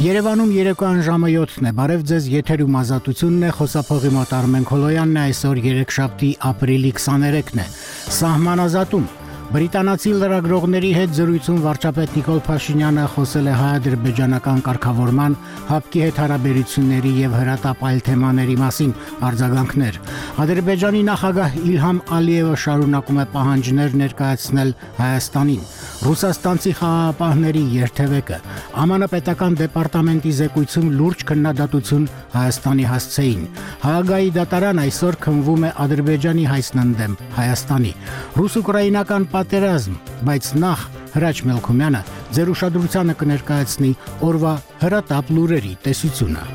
Երևանում երեկոյան ժամը 7-ն է, բարև ձեզ, եթերում ազատությունն է, խոսափողի մոտ Արմեն Քոլոյանն է, այսօր երեքշաբթի ապրիլի 23-ն է, սահմանազատում։ Բրիտանացի լրագրողների հետ զրույցում վարչապետ Նիկոլ Փաշինյանը խոսել է հայ-ադրբեջանական կարգավորման, հապկի հետ հարաբերությունների եւ հրատապ այլ թեմաների մասին արձագանքներ։ Ադրբեջանի նախագահ Իլհամ Ալիևը շարունակում է պահանջներ ներկայացնել Հայաստանին։ Ռուսաստանցի խաղաղապահների երթևեկը ԱՄՆ պետական դեպարտամենտի զեկույցում լուրջ քննադատություն Հայաստանի հասցեին։ Հաագայի դատարան այսօր քննվում է Ադրբեջանի հայցն ընդդեմ Հայաստանի։ Ռուս-ուկրաինական պատերազմ, բայց նախ Հրաչ Մելքումյանը ձեր ուշադրությանը կներկայացնի օրվա հրատապ լուրերի տեսությունը։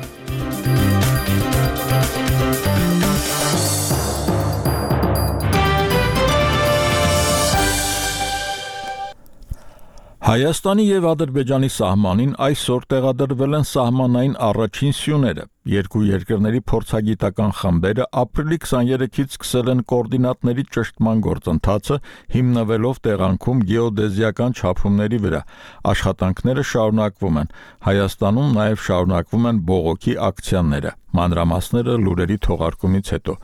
Հայաստանի եւ Ադրբեջանի սահմանին այսօր տեղադրվել են սահմանային առաջին սյուները։ Երկու երկրների փորձագիտական խմբերը ապրիլի 23-ից սկսել են կոորդինատների ճշտման գործընթացը, հիմնվելով տեղանքում գեոդեզիական չափումների վրա։ Աշխատանքները շարունակվում են։ Հայաստանում նաև շարունակվում են բողոքի ակցիաները։ Մանրամասները լուրերի թողարկումից հետո։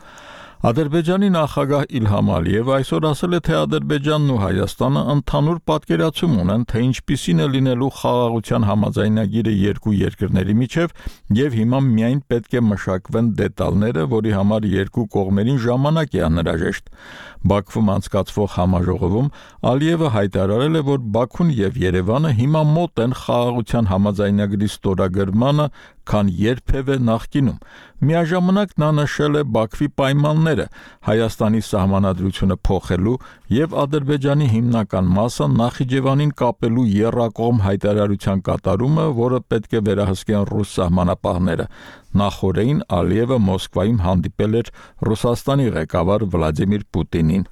Ադրբեջանի նախագահ Իլհամ Ալիևը այսօր ասել է, թե Ադրբեջանն ու Հայաստանը ընդհանուր պատկերացում ունեն, թե ինչպիսին է լինելու խաղաղության համաձայնագիրը երկու երկրների միջև եւ հիմա միայն պետք է մշակվեն դետալները, որի համար երկու կողմերին ժամանակ է անհրաժեշտ։ Բաքվում անցկացվող համաժողովում Ալիևը հայտարարել է, որ Բաքուն եւ Երևանը հիմա մոտ են խաղաղության համաձայնագրի ստորագրմանը, քան երբևէ նախկինում։ Միաժամանակ նա նշել է Բաքվի պայմանները Հայաստանի սահմանադրությունը փոխելու եւ Ադրբեջանի հիմնական մասը Նախիջևանին կապելու եռակողմ հայտարարության կատարումը, որը պետք է վերահսկեն ռուս սահմանապահները։ Նախորդին Ալիևը Մոսկվայում հանդիպել էր Ռուսաստանի ղեկավար Վլադիմիր Պուտինին։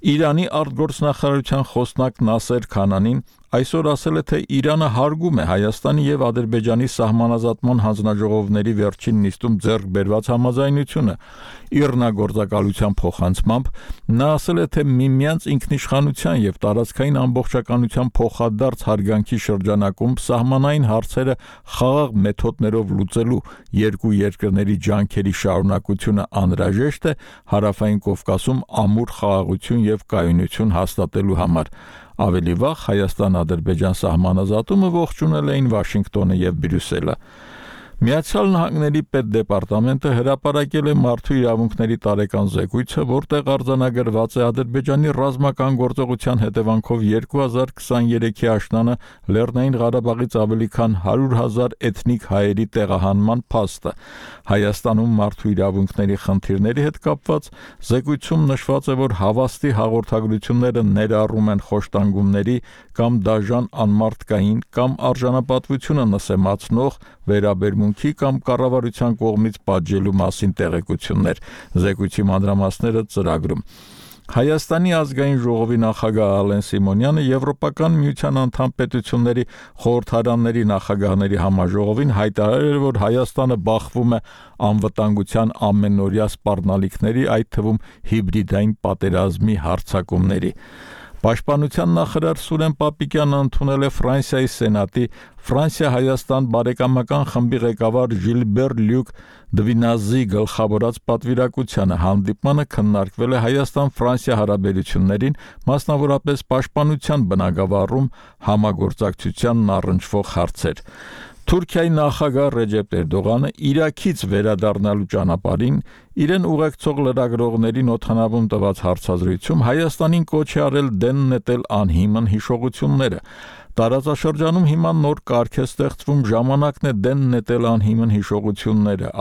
Իրանի արտգործնախարարության խոսնակ Նասեր Քանանին այսօր ասել է, թե Իրանը հարգում է Հայաստանի եւ Ադրբեջանի սահմանազատման հանձնաժողովների վերջին նիստում ձեռք բերված համաձայնությունը։ Իռնագործակալության փոխանցմամբ նա ասել է, թե միմյանց ինքնիշխանության եւ տարածքային ամբողջականության փոխադարձ հարգանքի շրջանակում սահմանային հարցերը խաղաղ մեթոդներով լուծելու երկու երկրների ջանքերի շարունակությունը անհրաժեշտ է Հարավային Կովկասում ամուր խաղաղություն եւ կայունություն հաստատելու համար։ Ավելի վաղ Հայաստան-Ադրբեջան սահմանազատումը ողջունել էին Վաշինգտոնը եւ Բրյուսելը։ Միացյալ Նահանգների պետդեպարտամենտը հրապարակել է մարդու իրավունքների տարեկան զեկույցը, որտեղ արձանագրված է Ադրբեջանի ռազմական գործողության հետևանքով 2023-ի աշնանը Լեռնային Ղարաբաղից ավելի քան 100,000 էթնիկ հայերի տեղահանման փաստը։ Հայաստանում մարդու իրավունքների խնդիրների հետ կապված զեկույցում նշված է, որ հավաստի հաղորդագրությունները ներառում են խոշտանգումների կամ դաժան անմարդկային կամ արժանապատվությունը նսեմացնող վերաբերմունքի կամ կառավարության կողմից պատժելու մասին տեղեկություններ։ Զեկույցի մանրամասները ծրագրում։ Հայաստանի ազգային ժողովի նախագահ Ալեն Սիմոնյանը Եվրոպական միության անդամ պետությունների խորհրդարանների նախագահների համաժողովին հայտարարել էր, որ Հայաստանը բախվում է անվտանգության ամենօրյա սպառնալիքների, այդ թվում հիբրիդային պատերազմի հարձակումների։ Պաշտպանության նախարար Սուրեն Պապիկյանը ընդունել է Ֆրանսիայի Սենատի Ֆրանսիա-Հայաստան բարեկամական խմբի ղեկավար Ժիլբեր Լյուկ Դվինազի գլխավորած պատվիրակությանը։ Հանդիպմանը քննարկվել է Հայաստան-Ֆրանսիա հարաբերություններին, մասնավորապես պաշտպանության բնագավառում համագործակցությանն առնչվող հարցեր։ Թուրքիայի նախագահ Ռեջեփ Էրդողանը Իրաքից վերադառնալու ճանապարհին իրեն ուղեկցող լրագրողներին օդանավում տված հարցազրույցում Հայաստանին կոչ է արել դեն նետել անհիմն հիշողությունները։ Տարածաշրջանում հիմա նոր կարգ է ստեղծվում, ժամանակն է դեն նետել անհիմն հիշողությունները,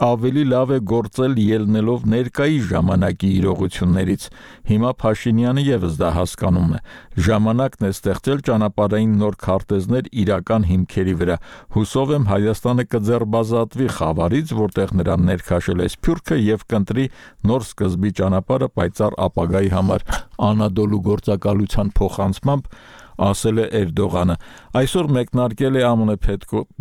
ավելի լավ է գործել ելնելով ներկայի ժամանակի իրողություններից։ Հիմա Փաշինյանը եւս դա հասկանում է։ Ժամանակն է ստեղծել ճանապարհային նոր քարտեզներ իրական հիմքերի վրա։ Հուսով եմ Հայաստանը կձեռբազատվի խավարից, որտեղ նրան ներքաշել է սփյուռքը եւ կընտրի նոր սկզբի ճանապարհը պայծառ ապագայի համար։ Անադոլու գործակալության փոխանցմամբ ասել է Էրդողանը։ Այսօր մեկնարկել է ԱՄՆ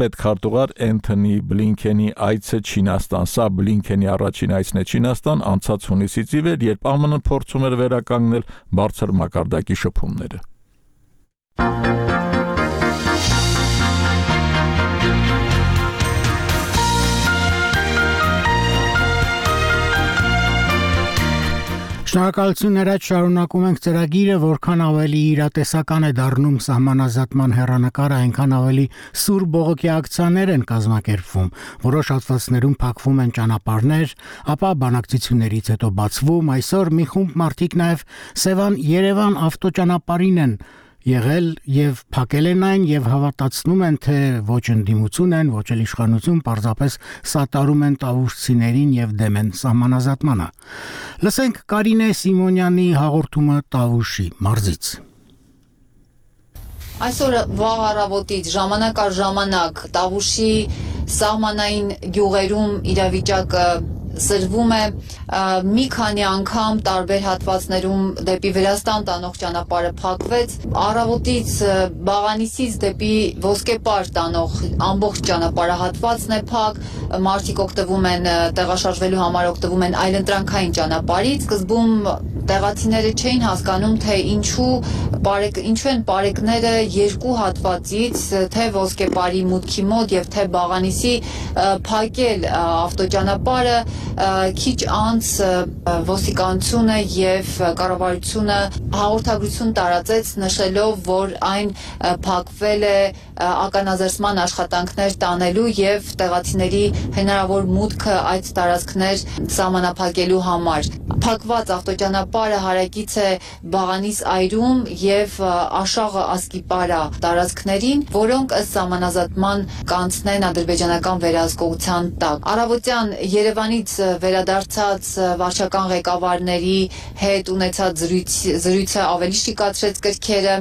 պետքարտուղար Էնթոնի Բլինքենի այցը Չինաստան։ Սա Բլինքենի առաջին այցն է Չինաստան անցած հունիսից ի վեր, երբ ԱՄՆ փորձում էր վերականգնել բարձր մակարդակի շփումները։ Շնորհակալություն Ներած, շարունակում ենք ծրագիրը, որքան ավելի իրատեսական է դառնում սահմանազատման հեռանկարը, այնքան ավելի սուր բողոքի ակցիաներ են կազմակերպվում, որոշ հատվածներում փակվում են ճանապարհներ, ապա բանակցություններից հետո բացվում, այսօր մի խումբ մարդիկ նաև Սևան-Երևան ավտոճանապարհին են եղել եւ փակել են այն եւ հավատացնում են, թե ոչ ընդդիմություն են, ոչ էլ իշխանություն, պարզապես սատարում են տավուշցիներին եւ դեմ են սահմանազատմանը։ Լսենք Կարինե Սիմոնյանի հաղորդումը Տավուշի մարզից։ Այսօր վաղ առավոտից ժամանակ առ ժամանակ Տավուշի սահմանային գյուղերում իրավիճակը սրվում է, մի քանի անգամ տարբեր հատվածներում դեպի Վրաստան տանող ճանապարհը փակվեց, առավոտից Բաղանիսից դեպի Ոսկեպար տանող ամբողջ ճանապարհահատվածն է փակ, մարդիկ օգտվում են տեղաշարժվելու համար օգտվում են այլընտրանքային ճանապարհից, սկզբում տեղացիները չէին հասկանում, թե ինչու են բարեկները երկու հատվածից, թե Ոսկեպարի մուտքի մոտ եւ թե Բաղանիսի փակել ավտոճանապարհը, քիչ անց ոստիկանությունը եւ կառավարությունը հաղորդագրություն տարածեց նշելով, որ այն փակվել է ականազերծման աշխատանքներ տանելու եւ տեղացիների հնարավոր մուտքը այդ տարածքներ սահմանափակելու համար։ Փակված ավտոճանապարհը հարակից է Բաղանիս այրում եւ Աշաղը Ասկիպարա տարածքներին, որոնք ըստ սահմանազատման կանցնեն ադրբեջանական վերահսկողության տակ։ Առավոտյան Երևանից վերադարձած վարչական ղեկավարների հետ ունեցած զրույցը ավելի շիկացրեց կրքերը,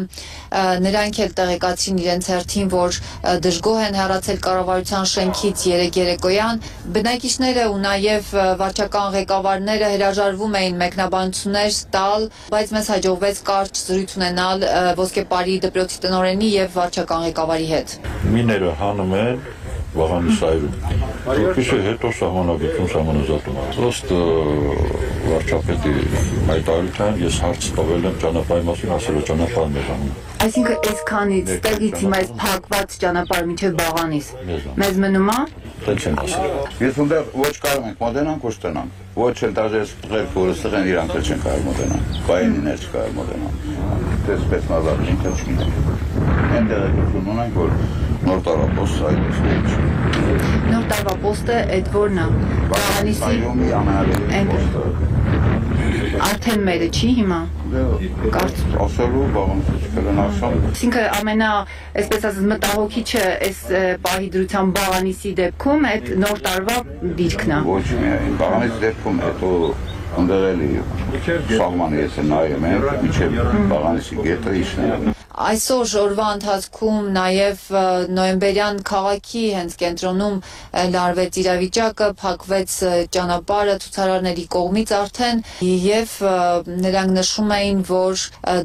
նրանք էլ տեղեկացրին իրենց հերթին, որ դժգոհ են հեռացել կառավարության շենքից երեկոյան։ Բնակիչները ու նաև վարչական ղեկավարները հրաժարվում էին մեկնաբանություններ տալ, բայց մեզ հաջողվեց կարճ զրույց ունենալ Ոսկեպարի դպրոցի տնօրենի եւ վարչական ղեկավարի հետ։ Միները հանում են Բաղանիս այրում։ Որպեսզի հետո սահմանազատում։ Ըստ վարչապետի հայտարարության ես հարց տվել եմ ճանապարհի մասին, ասել է ճանապարհն է հանում։ Այսինքն այսքանից տեղից հիմա այս փակված ճանապարհը մինչև Բաղանիս մեզ մնում է։ Տենց են ասել։ Ես ունդեր ոչ կարող ենք մոտենանք, ոչ տնանք։ Ոչ էլ դաժե սղեր փորը սղեն իրանք էլ չեն կարող մոտենալ։ Բայիններ չկարող մոտենալ։ Դες спецնազատ ինքը չունենք։ Այնտեղ եկություն ունենք, որ նոր տարապոստ այդպես։ Նոր տարվա պոստը այդ որն է։ Բաղանիսի այրումի ամենալավի պոստը։ Արդեն մերը չի հիմա։ Ասելու Բաղանիսի չկրեն ասում։ Այսինքն ամենա, այսպես ասած, մտահոգիչը այս պահի դրության Բաղանիսի դեպքում այդ նոր տարվա դիրքն է։ Ոչ միայն Բաղանիսի դեպքում հետո ընդեղելի սահմանը ես նայում եմ, միջև Բաղանիսի գետը իշն է։ Այսօր օրվա ընթացքում նաև նոյեմբերյան քաղաքի հենց կենտրոնում լարվեց իրավիճակը, փակվեց ճանապարհը ցուցարարների կողմից արդեն եւ նրանք նշում էին, որ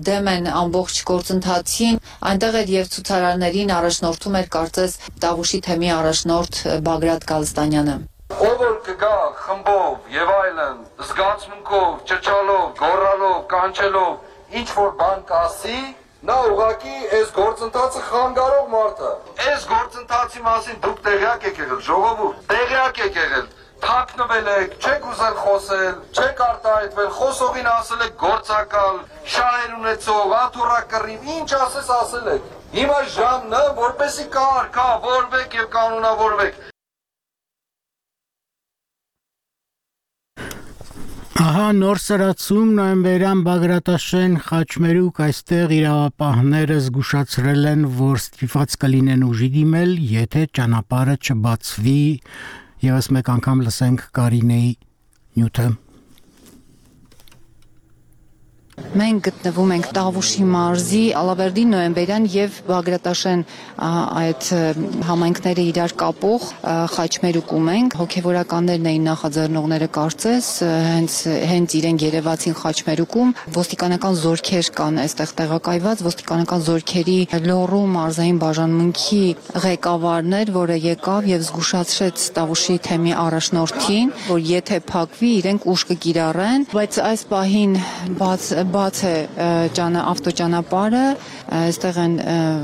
դեմ են ամբողջ գործընթացին, այնտեղ էր եւ ցուցարարներին առաջնորդում էր կարծես Տավուշի թեմի առաջնորդ Բագրատ Գալստանյանը։ Ով որ կգա խմբով եւ այլն, զգացմունքով, ճճալով, գոռալով, կանչելով, ինչ որ բան կասի, նա ուղղակի այս գործընթացը խանգարող մարդ է։ Այս գործընթացի մասին դուք տեղյակ եք եղել, ժողովուրդ, տեղյակ եք եղել, թաքնվել եք, չեք ուզել խոսել, չեք արտահայտվել, խոսողին ասել եք գործակալ, շահեր ունեցող, աթոռակռիվ, ինչ ասես ասել եք։ Հիմա ժամն է, որպեսզի կարգավորվեք եւ կանոնավորվեք։ Ահա նոր սրացում նոյեմբերյան Բագրատաշեն խաչմերուկ այստեղ իրավապահները զգուշացրել են, որ ստիպված կլինեն ուժի դիմել, եթե ճանապարհը չբացվի, եւս մեկ անգամ լսենք Կարինեի նյութը։ Մենք գտնվում ենք Տավուշի մարզի Ալավերդի նոյեմբերյան եւ Բագրատաշեն այդ համայնքները իրար կապող խաչմերուկում ենք։ Հոգեվորականներն էին նախաձեռնողները կարծես, հենց իրենք երևացին խաչմերուկում, ոստիկանական զորքեր կան այստեղ տեղակայված, ոստիկանական զորքերի լոռու մարզային բաժանմունքի ղեկավարն էր, որը եկավ եւ զգուշացրեց Տավուշի թեմի առաջնորդին, որ եթե փակվի, իրենք ուժ կկիրառեն, բայց այս պահին բաց է ավտոճանապարհը, այստեղ են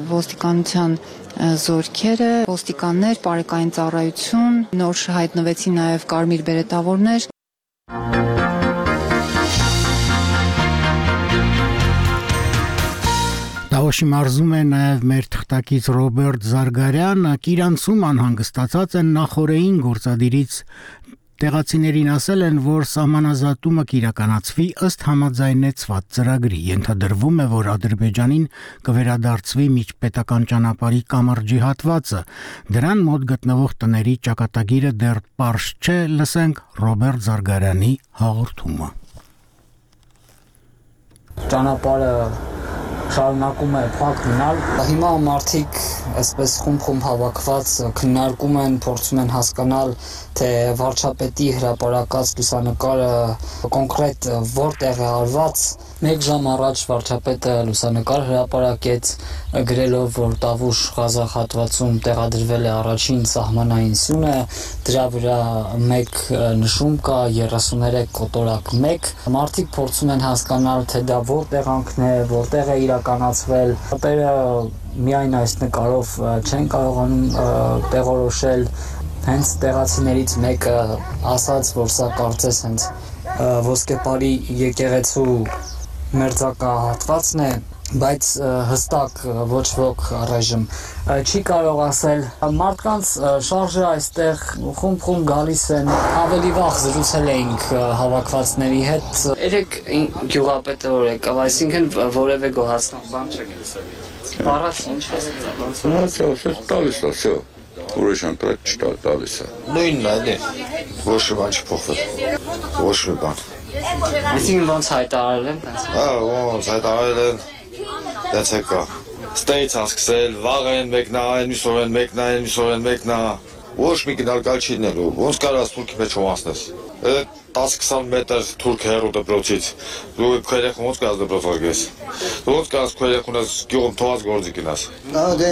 ոստիկանության զորքերը, ոստիկաններ, պարեկային ծառայություն, նոր հայտնվեցին նաև կարմիր բերետավորներ։ Տավոշի մարզում է նաև մեր թղթակից Ռոբերտ Զարգարյանը, Կիրանցում անհանգստացած են նախորդային գործադիրից տեղացիներին ասել են, որ սահմանազատումը կիրականացվի ըստ համաձայնեցված ծրագրի, ենթադրվում է, որ Ադրբեջանին կվերադարձվի միջպետական ճանապարհի կամրջի հատվածը, դրան մոտ գտնվող տների ճակատագիրը դեռ պարզ չէ, լսենք Ռոբերտ Զարգարյանի հաղորդումը։ Ճանապարհը շարունակում է փակ մնալ։ Հիմա մարդիկ այսպես խումբ հավաքված քննարկում են, փորձում են հասկանալ, թե վարչապետի հրապարակած լուսանկարը կոնկրետ որտեղ է արված։ 1 ժամ առաջ վարչապետը լուսանկար հրապարակեց, գրելով, որ Տավուշ Ղազախ հատվածում տեղադրվել է առաջին սահմանային սյունը, դրա վրա 1 նշում կա 33 կոտորակ 1։ Մարդիկ փորձում են հասկանալ, թե դա որտեղ անքն է, որտեղ է իրականացվել։ Շատերը միայն այս նկարով չեն կարողանում տեղորոշել։ Հենց տեղացիներից մեկը ասաց, որ սա կարծես հենց ոսկեպարի եկեղեցու մերձակա հատվածն է, բայց հստակ ոչ ոք առայժմ չի կարող ասել։ Մարդկանց շարժը այստեղ խումբ գալիս են, ավելի վաղ զրուցել էինք հավաքվածների հետ։ Երեք գյուղապետը որ եկավ, այսինքն որևէ գոհացնող բան չեք լսել։ Առաջ ինչ է տալիս է, всё։ Ուրիշ ընտրած տալիս է։ Նույնն է, էլի։ Ոչ մի բան չփոխվել։ Ոչ մի բան։ Այսինքն ոնց հայտարարել են։ Ոնց հայտարարել են։ Դες եկա։ Ստեյց ասկսել, վաղ են մեկնային, միսով են մեկնային, միսով են մեկնա։ Ոչ մի գնալկալ չի լինելու։ Ոնց կարաս թուրքի մեջ ոմանցնես։ 10-20 մետր թուրք հեռու դպրոցից։ Դու քերեխ ոնց կարաս դպրոց արգես։ Ոնց կարաս քերեխունս գյուղում թողած գործի գնաս։ Դե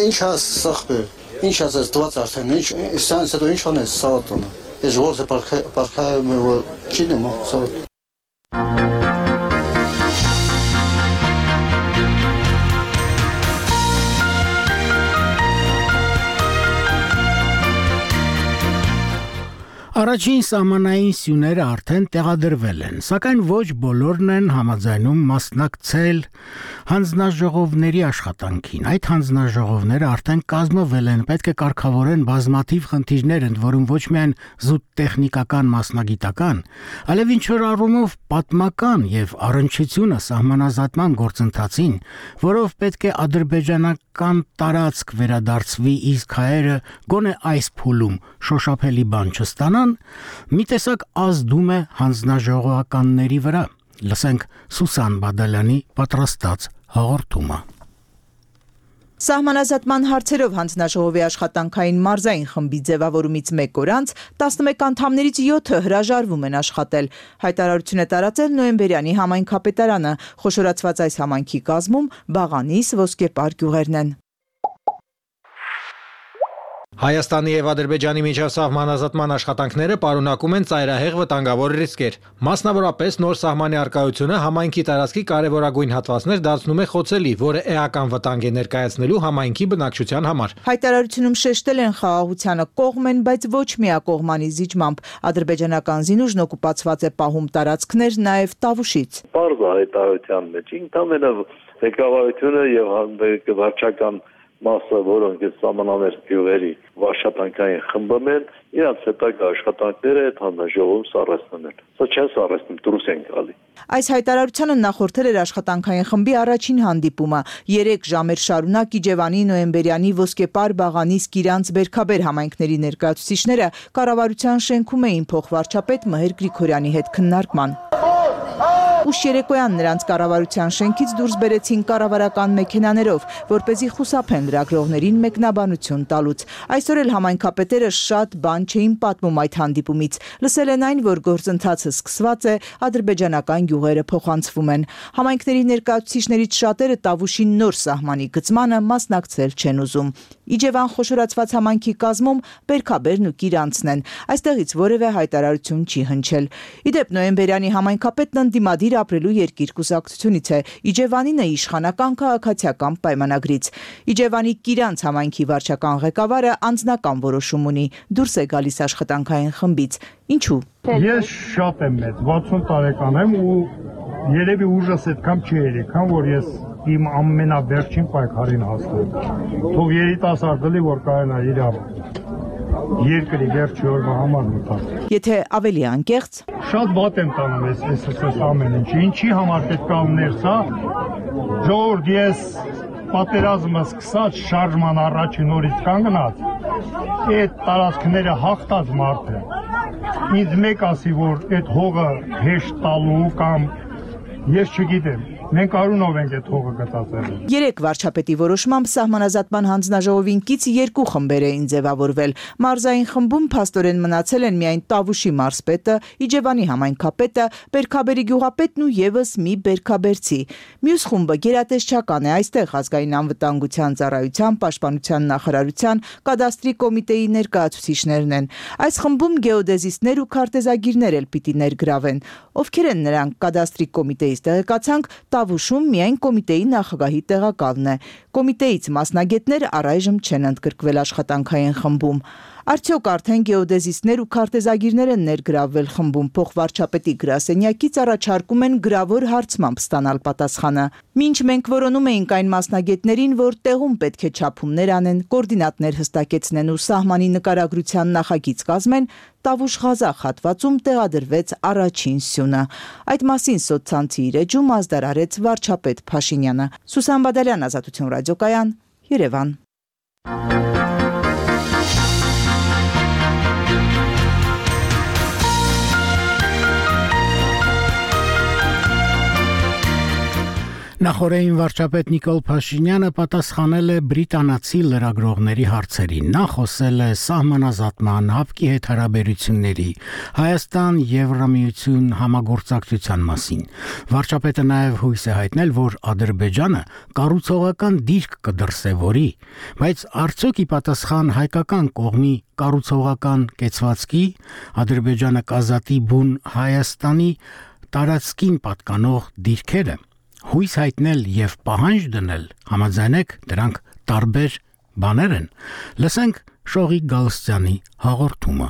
ինչ ասախբեր։ Ինչ ասես դված արդեն, ինչ սրանց հետո ինչ անես սավատոնը։ Ես ողջ պարքայում եմ, որ չի նմա սավատ։ Առաջին սահմանային սյուները արդեն տեղադրվել են, սակայն ոչ բոլորն են համաձայնում մասնակցել հանձնաժողովների աշխատանքին։ Այդ հանձնաժողովները արդեն կազմվել են, պետք է կարգավորեն բազմաթիվ խնդիրներ, ընդ որում ոչ միայն զուտ տեխնիկական մասնագիտական, այլև ինչ-որ առումով պատմական եւ առնչությունը սահմանազատման գործընթացին, որով պետք է ադրբեջանական տարածք վերադարձվի, իսկ հայերը գոնե այս փուլում շոշափելի բան չստանան, մի տեսակ ազդում է հանձնաժողովականների վրա։ Լսենք Սուսան Բադալյանի պատրաստած հաղորդումը։ Սահմանազատման հարցերով հանձնաժողովի աշխատանքային մարզային խմբի ձևավորումից 1 օր անց 11 անդամներից 7-ը հրաժարվում են աշխատել։ Հայտարարություն է տարածել Նոյեմբերյանի համայնքապետարանը։ Խոշորացված այս համայնքի կազմում Բաղանիս, Ոսկեպար գյուղերն են։ Հայաստանի եւ Ադրբեջանի միջև սահմանազատման աշխատանքները պարունակում են ծայրահեղ վտանգավոր ռիսկեր։ Մասնավորապես նոր սահմանի առկայությունը համայնքի տարածքի կարևորագույն հատվածներ դարձնում է խոցելի, որը էական վտանգ է ներկայացնելու համայնքի բնակչության համար։ Հայտարարությունում շեշտել են խաղաղությանը կողմ են, բայց ոչ միակողմանի զիջմամբ։ Ադրբեջանական զինուժն օկուպացված է պահում տարածքներ նաեւ Տավուշից։ Պարզ է հայտարարության մեջ ինքնամենը ղեկավարությունը եւ վարչական մասը, որոնք այս սահմանամերձ գյուղերի աշխատանքային խմբում են, իրանց հետագա աշխատանքները այդ հանձնաժողովում սառեցնում են։ Սա չեն սառեցնում, դուրս են գալի։ Այս հայտարարությանը նախորդել էր աշխատանքային խմբի առաջին հանդիպումը։ 3 ժամեր շարունակ Իջևանի, Նոյեմբերյանի, Ոսկեպար, Բաղանիս, Կիրանց, Բերքաբեր համայնքների ներկայացուցիչները կառավարության շենքում էին փոխվարչապետ Մհեր Գրիգորյանի հետ քննարկման։ Ուշ երեկոյան նրանց կառավարության շենքից դուրս բերեցին կառավարական մեքենաներով, որպեսզի խուսափեն լրագրողներին մեկնաբանություն տալուց։ Այսօր էլ համայնքապետերը շատ բան չէին պատմում այդ հանդիպումից։ Լսել են այն, որ գործընթացը սկսված է, ադրբեջանական գյուղերը փոխանցվում են։ Համայնքների ներկայացուցիչներից շատերը Տավուշի նոր սահմանի գծմանը մասնակցել չեն ուզում։ Իջևան խոշորացված համայնքի կազմում Բերքաբերն ու Կիրանցն են։ Այստեղից որևէ հայտարարություն չի հնչել։ Իդեպ Նոյեմբերյանի համայնքապետն ընդդիմադիր ապրելու երկիր կուսակցությունից է, Իջևանին է իշխանական քաղաքացիական պայմանագրից։ Իջևանի Կիրանց համայնքի վարչական ղեկավարը անձնական որոշում ունի, դուրս է գալիս աշխատանքային խմբից։ Ինչու՞։ Ես շատ եմ մեծ, 60 տարեկան եմ ու երևի ուժս այդքան չի երեքան, որ ես իմ ամենավերջին պայքարին հասնել։ Թող երիտասարդը լի, որ կարենա իր երկրի վերջի օրվա համար մտած։ Եթե ավելի անկեղծ, շատ վատ եմ տանում այս ամեն ինչ։ Ինչի համար պետք է ներսա, ժողովուրդ, ես պատերազմը սկսած շարժման առաջին օրից կանգնած, այդ տարածքները հաղթած մարդ է։ Ինձ մեկ ասի, որ այդ հողը հեշտ տալու կամ ես չգիտեմ, մենք արունով ենք այդ հողը գտածել։ 3 վարչապետի որոշմամբ սահմանազատման հանձնաժողովին կից 2 խմբեր էին ձևավորվել։ Մարզային խմբում փաստորեն մնացել են միայն Տավուշի մարզպետը, Իջևանի համայնքապետը, Բերքաբերի գյուղապետն ու եւս մի բերքաբերցի։ Մյուս խումբը գերատեսչական է, այստեղ ազգային անվտանգության ծառայության, պաշտպանության նախարարության, կադաստրի կոմիտեի ներկայացուցիչներն են։ Այս խմբում գեոդեզիստներ ու քարտեզագիրներ էլ պիտի ներգրավեն։ Ովքեր են նրանք, կադաստրի կոմիտեից տեղեկացանք, Տավուշում միայն կոմիտեի նախագահի տեղակալն է։ Կոմիտեից մասնագետներ առայժմ չեն ընդգրկվել աշխատանքային խմբում։ Արդյոք արդեն գեոդեզիստներ ու քարտեզագիրներ են ներգրավվել խմբում, փոխվարչապետի գրասենյակից առաջարկում են գրավոր հարցմամբ ստանալ պատասխանը։ Մինչ մենք որոնում էինք այն մասնագետներին, որ տեղում պետք է չափումներ անեն, կոորդինատներ հստակեցնեն ու սահմանի նկարագրության նախագիծ կազմեն, Տավուշ-Ղազախ հատվածում տեղադրվեց առաջին սյունը։ Այդ մասին սոցցանցի իր էջում ազդարարեց վարչապետ Փաշինյանը։ Սուսան Բադալյան, Ազատություն ռադիոկայան, Երևան։ Նախորդին վարչապետ Նիկոլ Փաշինյանը պատասխանել է բրիտանացի լրագրողների հարցերին։ Նա խոսել է սահմանազատման, հապկի հետ հարաբերությունների, Հայաստան-Եվրամիություն համագործակցության մասին։ Վարչապետը նաև հույս է հայտնել, որ Ադրբեջանը կառուցողական դիրք կդրսևորի, բայց արդյոք ի պատասխան հայկական կողմի կառուցողական կեցվածքի Ադրբեջանը կազատի բուն Հայաստանի տարածքին պատկանող դիրքերը հույս հայտնել եւ պահանջ դնել, համաձայնեք, դրանք տարբեր բաներ են։ Լսենք Շողիկ Գալստյանի հաղորդումը։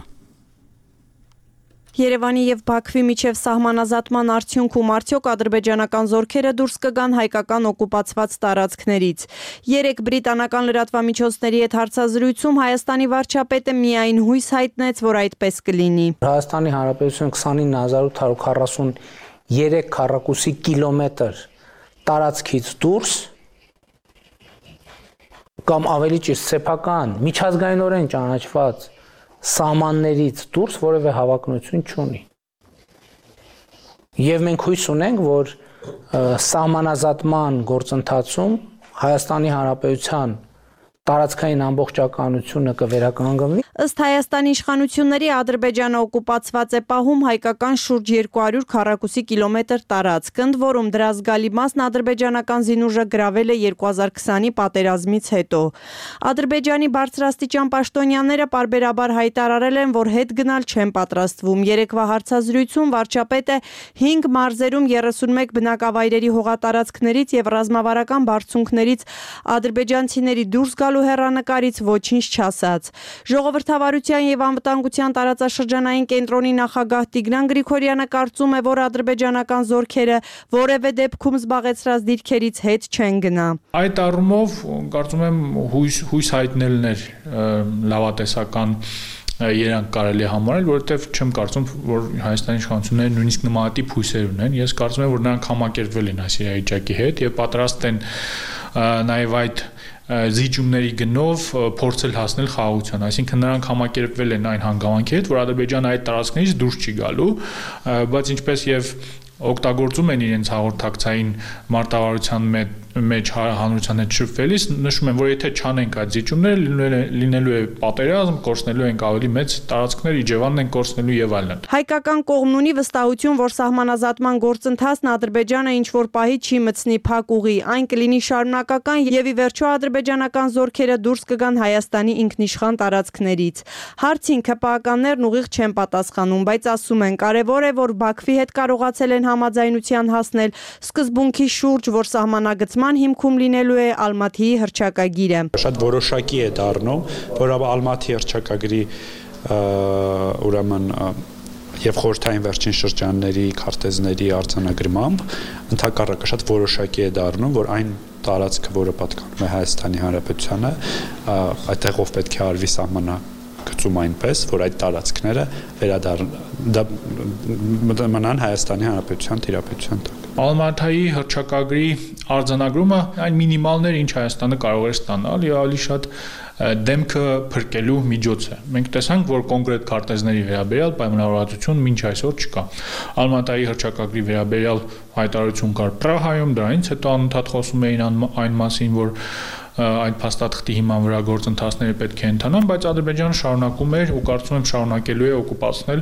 Երևանի եւ Բաքվի միջև սահմանազատման արդյունքում արդյոք ադրբեջանական զորքերը դուրս կգան հայկական օկուպացված տարածքներից։ 3 բրիտանական լրատվամիջոցների հետ հարցազրույցում Հայաստանի վարչապետը միայն հույս հայտնեց, որ այդպես կլինի։ Հայաստանի Հանրապետություն 29843 քառակուսի կիլոմետր տարածքից դուրս կամ ավելի ճիշտ սեփական միջազգայինորեն ճանաչված սահմաններից դուրս որևէ հավակնություն չունի։ Եվ մենք հույս ունենք, որ սահմանազատման գործընթացում Հայաստանի Հանրապետության տարածքային ամբողջականությունը կվերականգնվի։ Ըստ Հայաստանի իշխանությունների Ադրբեջանը օկուպացված է պահում հայկական շուրջ 200 քառակուսի կիլոմետր տարածք, ընդ որում դրա զգալի մասն ադրբեջանական զինուժը գրավել է 2020-ի պատերազմից հետո։ Ադրբեջանի բարձրաստիճան պաշտոնյաները պարբերաբար հայտարարել են, որ հետ գնալ չեն պատրաստվում։ Երեկվա հարցազրույցում վարչապետը 5 մարզերում 31 բնակավայրերի հողատարածքներից եւ ռազմավարական բարձունքներից ադրբեջանցիների դուրս գալու հեռանկարից ոչինչ չասաց։ Ժողովրդավարության եւ անվտանգության տարածաշրջանային կենտրոնի նախագահ Տիգրան Գրիգորյանը կարծում է, որ ադրբեջանական զորքերը որևէ դեպքում զբաղեցրած դիրքերից հետ չեն գնա։ Այդ առումով կարծում եմ հույս հայտնելն էր լավատեսական երանգ կարելի է համարել, որովհետև չեմ կարծում, որ Հայաստանի իշխանությունները նույնիսկ նմանատիպ հույսեր ունեն։ Ես կարծում եմ, որ նրանք համակերպվել են այս իրավիճակի հետ եւ պատրաստ են նաեւ այդ զիջումների գնով փորձել հասնել խաղաղության, այսինքն նրանք համակերպվել են այն հանգամանքի հետ, որ Ադրբեջանը այդ տարածքներից դուրս չի գալու, բայց ինչպես եւ օգտագործում են իրենց հաղորդակցային մարտավարության մեջ հանրության հետ շփվելիս, նշում են, որ եթե չանենք այդ զիջումները, լինելու է պատերազմ, կորցնելու ենք ավելի մեծ տարածքներ, Իջևանն են կորցնելու եւ այլն։ Հայկական կողմն ունի վստահություն, որ սահմանազատման գործընթացն Ադրբեջանը ինչ որ պահի չի մտցնի փակ ուղի, այն կլինի շարունակական եւ ի վերջո ադրբեջանական զորքերը դուրս կգան Հայաստանի ինքնիշխան տարածքներից։ Հարցին ԿՊԱ-ականներն ուղիղ չեն պատասխանում, բայց ասում են, կարեւոր է, որ Բաքվի հետ կարողացել են համաձայնության հասնել սկզբունքի շուրջ, որ սահմանագծման հիմքում լինելու է Ալմաթիի հռչակագիրը։ Շատ որոշակի է դառնում, որ Ալմաթի հռչակագրի ուրեմն եւ խորհրդային վերջին շրջանների քարտեզների արձանագրմամբ ընդհակառակը շատ որոշակի է դառնում, որ այն տարածքը, որը պատկանում է Հայաստանի Հանրապետությանը, այդտեղով պետք է արվի սահմանագծում այնպես, որ այդ տարածքները մնան Հայաստանի Հանրապետության տիրապետության տակ։ Ալմատայի հռչակագրի արձանագրումը այն մինիմալն էր, ինչ Հայաստանը կարող էր ստանալ, եւ ավելի շատ դեմքը փրկելու միջոց է։ Մենք տեսանք, որ կոնկրետ քարտեզների վերաբերյալ պայմանավորվածություն մինչ այսօր չկա։ Ալմատայի հռչակագրի վերաբերյալ հայտարարություն կար Պրահայում, դրանից հետո անընդհատ խոսում էին այն մասին, որ այդ փաստաթղթի հիման վրա գործընթացները պետք է ընթանան, բայց Ադրբեջանը շարունակում էր ու կարծում եմ շարունակելու է օկուպացնել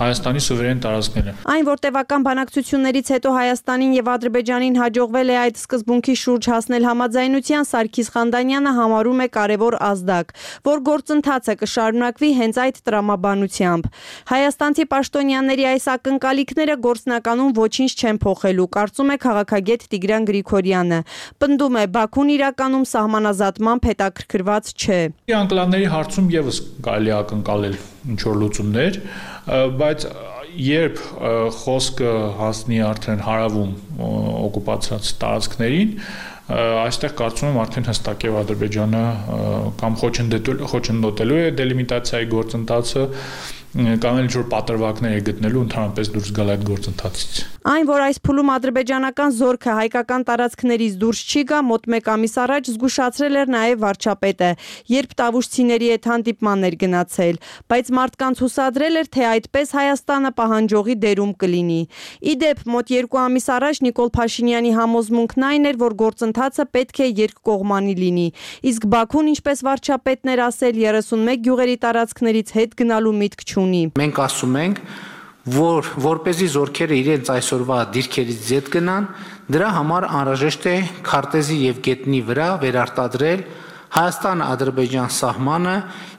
Հայաստանի սուվերեն տարածքները։ Այն, որ տևական բանակցություններից հետո Հայաստանին եւ Ադրբեջանին հաջողվել է այդ սկզբունքի շուրջ հասնել համաձայնության, Սարգիս Խանդանյանը համարում է կարևոր ազդակ, որ գործընթացը կշարունակվի հենց այդ տրամաբանությամբ։ Հայաստանցի պաշտոնյաների այս ակնկալիքները գործնականում ոչինչ չեն փոխելու, կարծում է քաղաքագետ Տիգրան Գրիգորյանը։ Պնդում է, Բաքուն իրականում սահմանազատմամբ հետաքրքրված չէ։ Անկլավների հարցում եւս կարելի է ակնկալել ինչ-որ լուծումներ, բայց երբ խոսքը հասնի արդեն հարավում օկուպացրած տարածքներին, այստեղ կարծում եմ արդեն հստակ է Ադրբեջանը կամ խոչընդոտելու է դելիմիտացիայի գործընթացը կամ էլ ինչ-որ պատրվակներ է գտնելու ընդհանրապես դուրս գալ այդ գործընթացից։ Այն, որ այս փուլում ադրբեջանական զորքը հայկական տարածքներից դուրս չի գա, մոտ 1 ամիս առաջ զգուշացրել էր նաև վարչապետը, երբ տավուշցիների հետ հանդիպման էր գնացել, բայց մարդկանց հուսադրել էր, թե այդպես Հայաստանը պահանջողի դերում կլինի։ Ի դեպ, մոտ 2 ամիս առաջ Նիկոլ Փաշինյանի համոզմունքն այն էր, որ գործընթացը պետք է երկկողմանի լինի, իսկ Բաքուն, ինչպես վարչապետն էր ասել, 31 գյուղերի տարածքներից հետ գնալու միտք չունի։ Մենք ասում ենք, որ որպեսզի զորքերը իրենց այսօրվա դիրքերից ձետ գնան, դրա համար անհրաժեշտ է քարտեզի եւ գետնի վրա վերարտադրել Հայաստան-Ադրբեջան սահմանը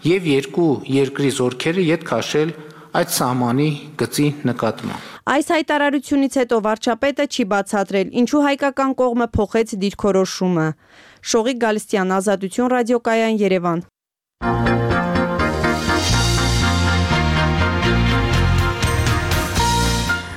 եւ երկու երկրի զորքերը յետ քաշել այդ սահմանի գծի նկատմամբ։ Այս հայտարարությունից հետո վարչապետը չի բացատրել, ինչու հայկական կողմը փոխեց դիրքորոշումը։ Շողիկ Գալստյան, Ազատություն ռադիոկայան, Երևան։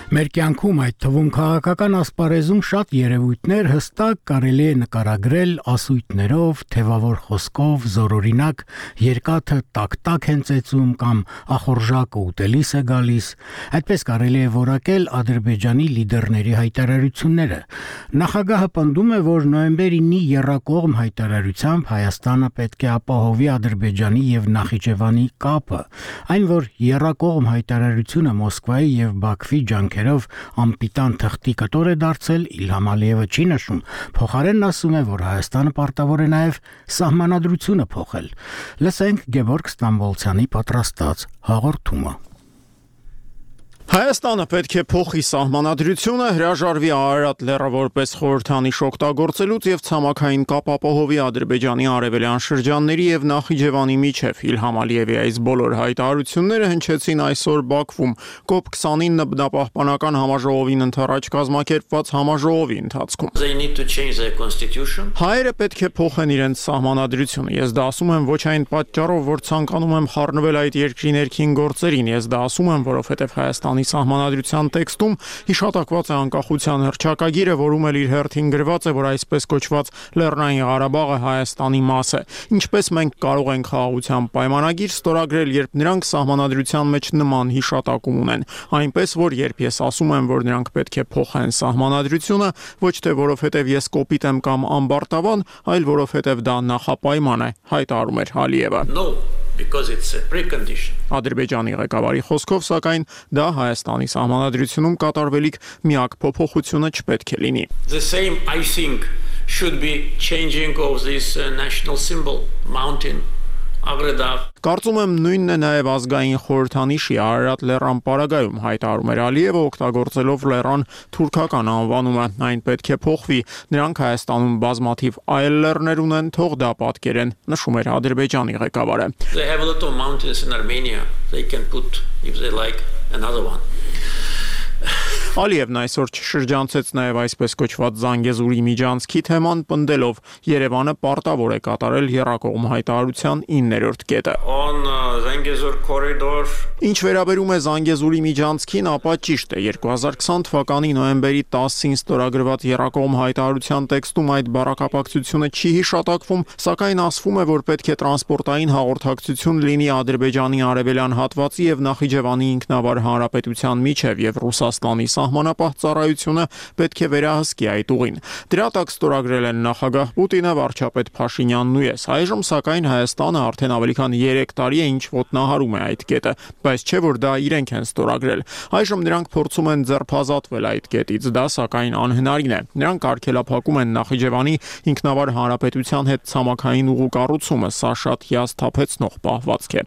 Մեր կյանքում, այդ թվում քաղաքական ասպարեզում շատ երևույթներ հստակ կարելի է նկարագրել ասույթներով, թևավոր խոսքով, զորօրինակ, երկաթը տակ-տակ են ծեծում կամ ախորժակը ուտելիս է գալիս։ Այդպես կարելի է որակել Ադրբեջանի լիդերների հայտարարությունները։ Նախագահը պնդում է, որ նոյեմբեր 9-ի եռակողմ հայտարարությամբ Հայաստանը պետք է ապահովի Ադրբեջանի եւ Նախիջևանի կապը։ Այն, որ եռակողմ հայտարարությունը Մոսկվայի եւ Բաքվի ջանքերով անպիտան թղթի կտոր է դարձել, Իլհամ Ալիևը չի նշում, փոխարենն ասում է, որ Հայաստանը պարտավոր է նաև սահմանադրությունը փոխել։ Լսենք Գևորգ Ստամբոլցյանի պատրաստած հաղորդումը։ Հայաստանը պետք է փոխի սահմանադրությունը, հրաժարվի Արարատ լեռը որպես խորհրդանիշ օգտագործելուց եւ ցամաքային կապ ապահովի Ադրբեջանի արևելյան շրջանների եւ Նախիջևանի միջև։ Իլհամ Ալիևի այս բոլոր հայտարարությունները հնչեցին այսօր Բաքվում COP29 բնապահպանական համաժողովին ընթരാճ կազմակերպված համաժողովի ընթացքում։ Հայերը պետք է փոխեն իրենց սահմանադրությունը։ Ես դա ասում եմ ոչ այն պատճառով, որ ցանկանում եմ խառնվել այդ երկրի ներքին գործերին, ես դա ասում եմ, որովհետեւ Հայաստանը սահմանադրության տեքստում հիշատակված է անկախության հռչակագիրը, որում էլ իր հերթին գրված է, որ այսպես կոչված Լեռնային Ղարաբաղը Հայաստանի մաս է։ Ինչպես մենք կարող ենք խաղաղության պայմանագիր ստորագրել, երբ նրանք սահմանադրության մեջ նման հիշատակում ունեն, այնպես որ երբ ես ասում եմ, որ նրանք պետք է փոխեն սահմանադրությունը, ոչ թե որովհետև ես կոպիտ եմ կամ ամբարտավան, այլ որովհետև դա նախապայման է, հայտարարում էր Ալիևը։ Because it's a precondition. Ադրբեջանի ղեկավարի խոսքով, սակայն դա Հայաստանի սահմանադրությունում կատարվելիք միակ փոփոխությունը չպետք է լինի։ The same, I think, should be changing of this national symbol, mountain. Կարծում եմ նույնն է նաև ազգային խորհրդանիշի Արարատ լեռան պարագայում, հայտարարում էր Ալիևը, օգտագործելով լեռան թուրքական անվանումը, այն պետք է փոխվի, նրանք Հայաստանում բազմաթիվ այլ լեռներ ունեն, թող դա պատկերեն, նշում էր Ադրբեջանի ղեկավարը։ They have a lot of mountains in Armenia, they can put, if they like, another one. Ալիևն այսօր շրջանցեց նաև այսպես կոչված Զանգեզուրի միջանցքի թեման, պնդելով Երևանը պարտավոր է կատարել եռակողմ հայտարարության 9-րդ կետը։ On Zangezur corridor. Ինչ վերաբերում է Զանգեզուրի միջանցքին, ապա ճիշտ է 2020 թվականի նոյեմբերի 10-ին ստորագրված եռակողմ հայտարարության տեքստում այդ բառակապակցությունը չի հիշատակվում, սակայն ասվում է, որ պետք է տրանսպորտային հաղորդակցություն լինի Ադրբեջանի արևելյան հատվածի եւ Նախիջևանի ինքնավար հանրապետության միջև եւ Ռուսաստանի սահմանապահ ծառայությունը պետք է վերահսկի այդ ուղին։ Դրա տակ ստորագրել են նախագահ Պուտինը, վարչապետ Փաշինյանն ու ես։ Այժմ սակայն Հայաստանը արդեն ավելի քան 3 տարի է ինչ ոտնահարում է այդ կետը, բայց չէ որ դա իրենք են ստորագրել։ Այժմ նրանք փորձում են ձերբազատվել այդ կետից, դա սակայն անհնարին է։ Նրանք արգելափակում են Նախիջևանի ինքնավար հանրապետության հետ ցամաքային ուղու կառուցումը, սա շատ հիասթափեցնող պահվածք է։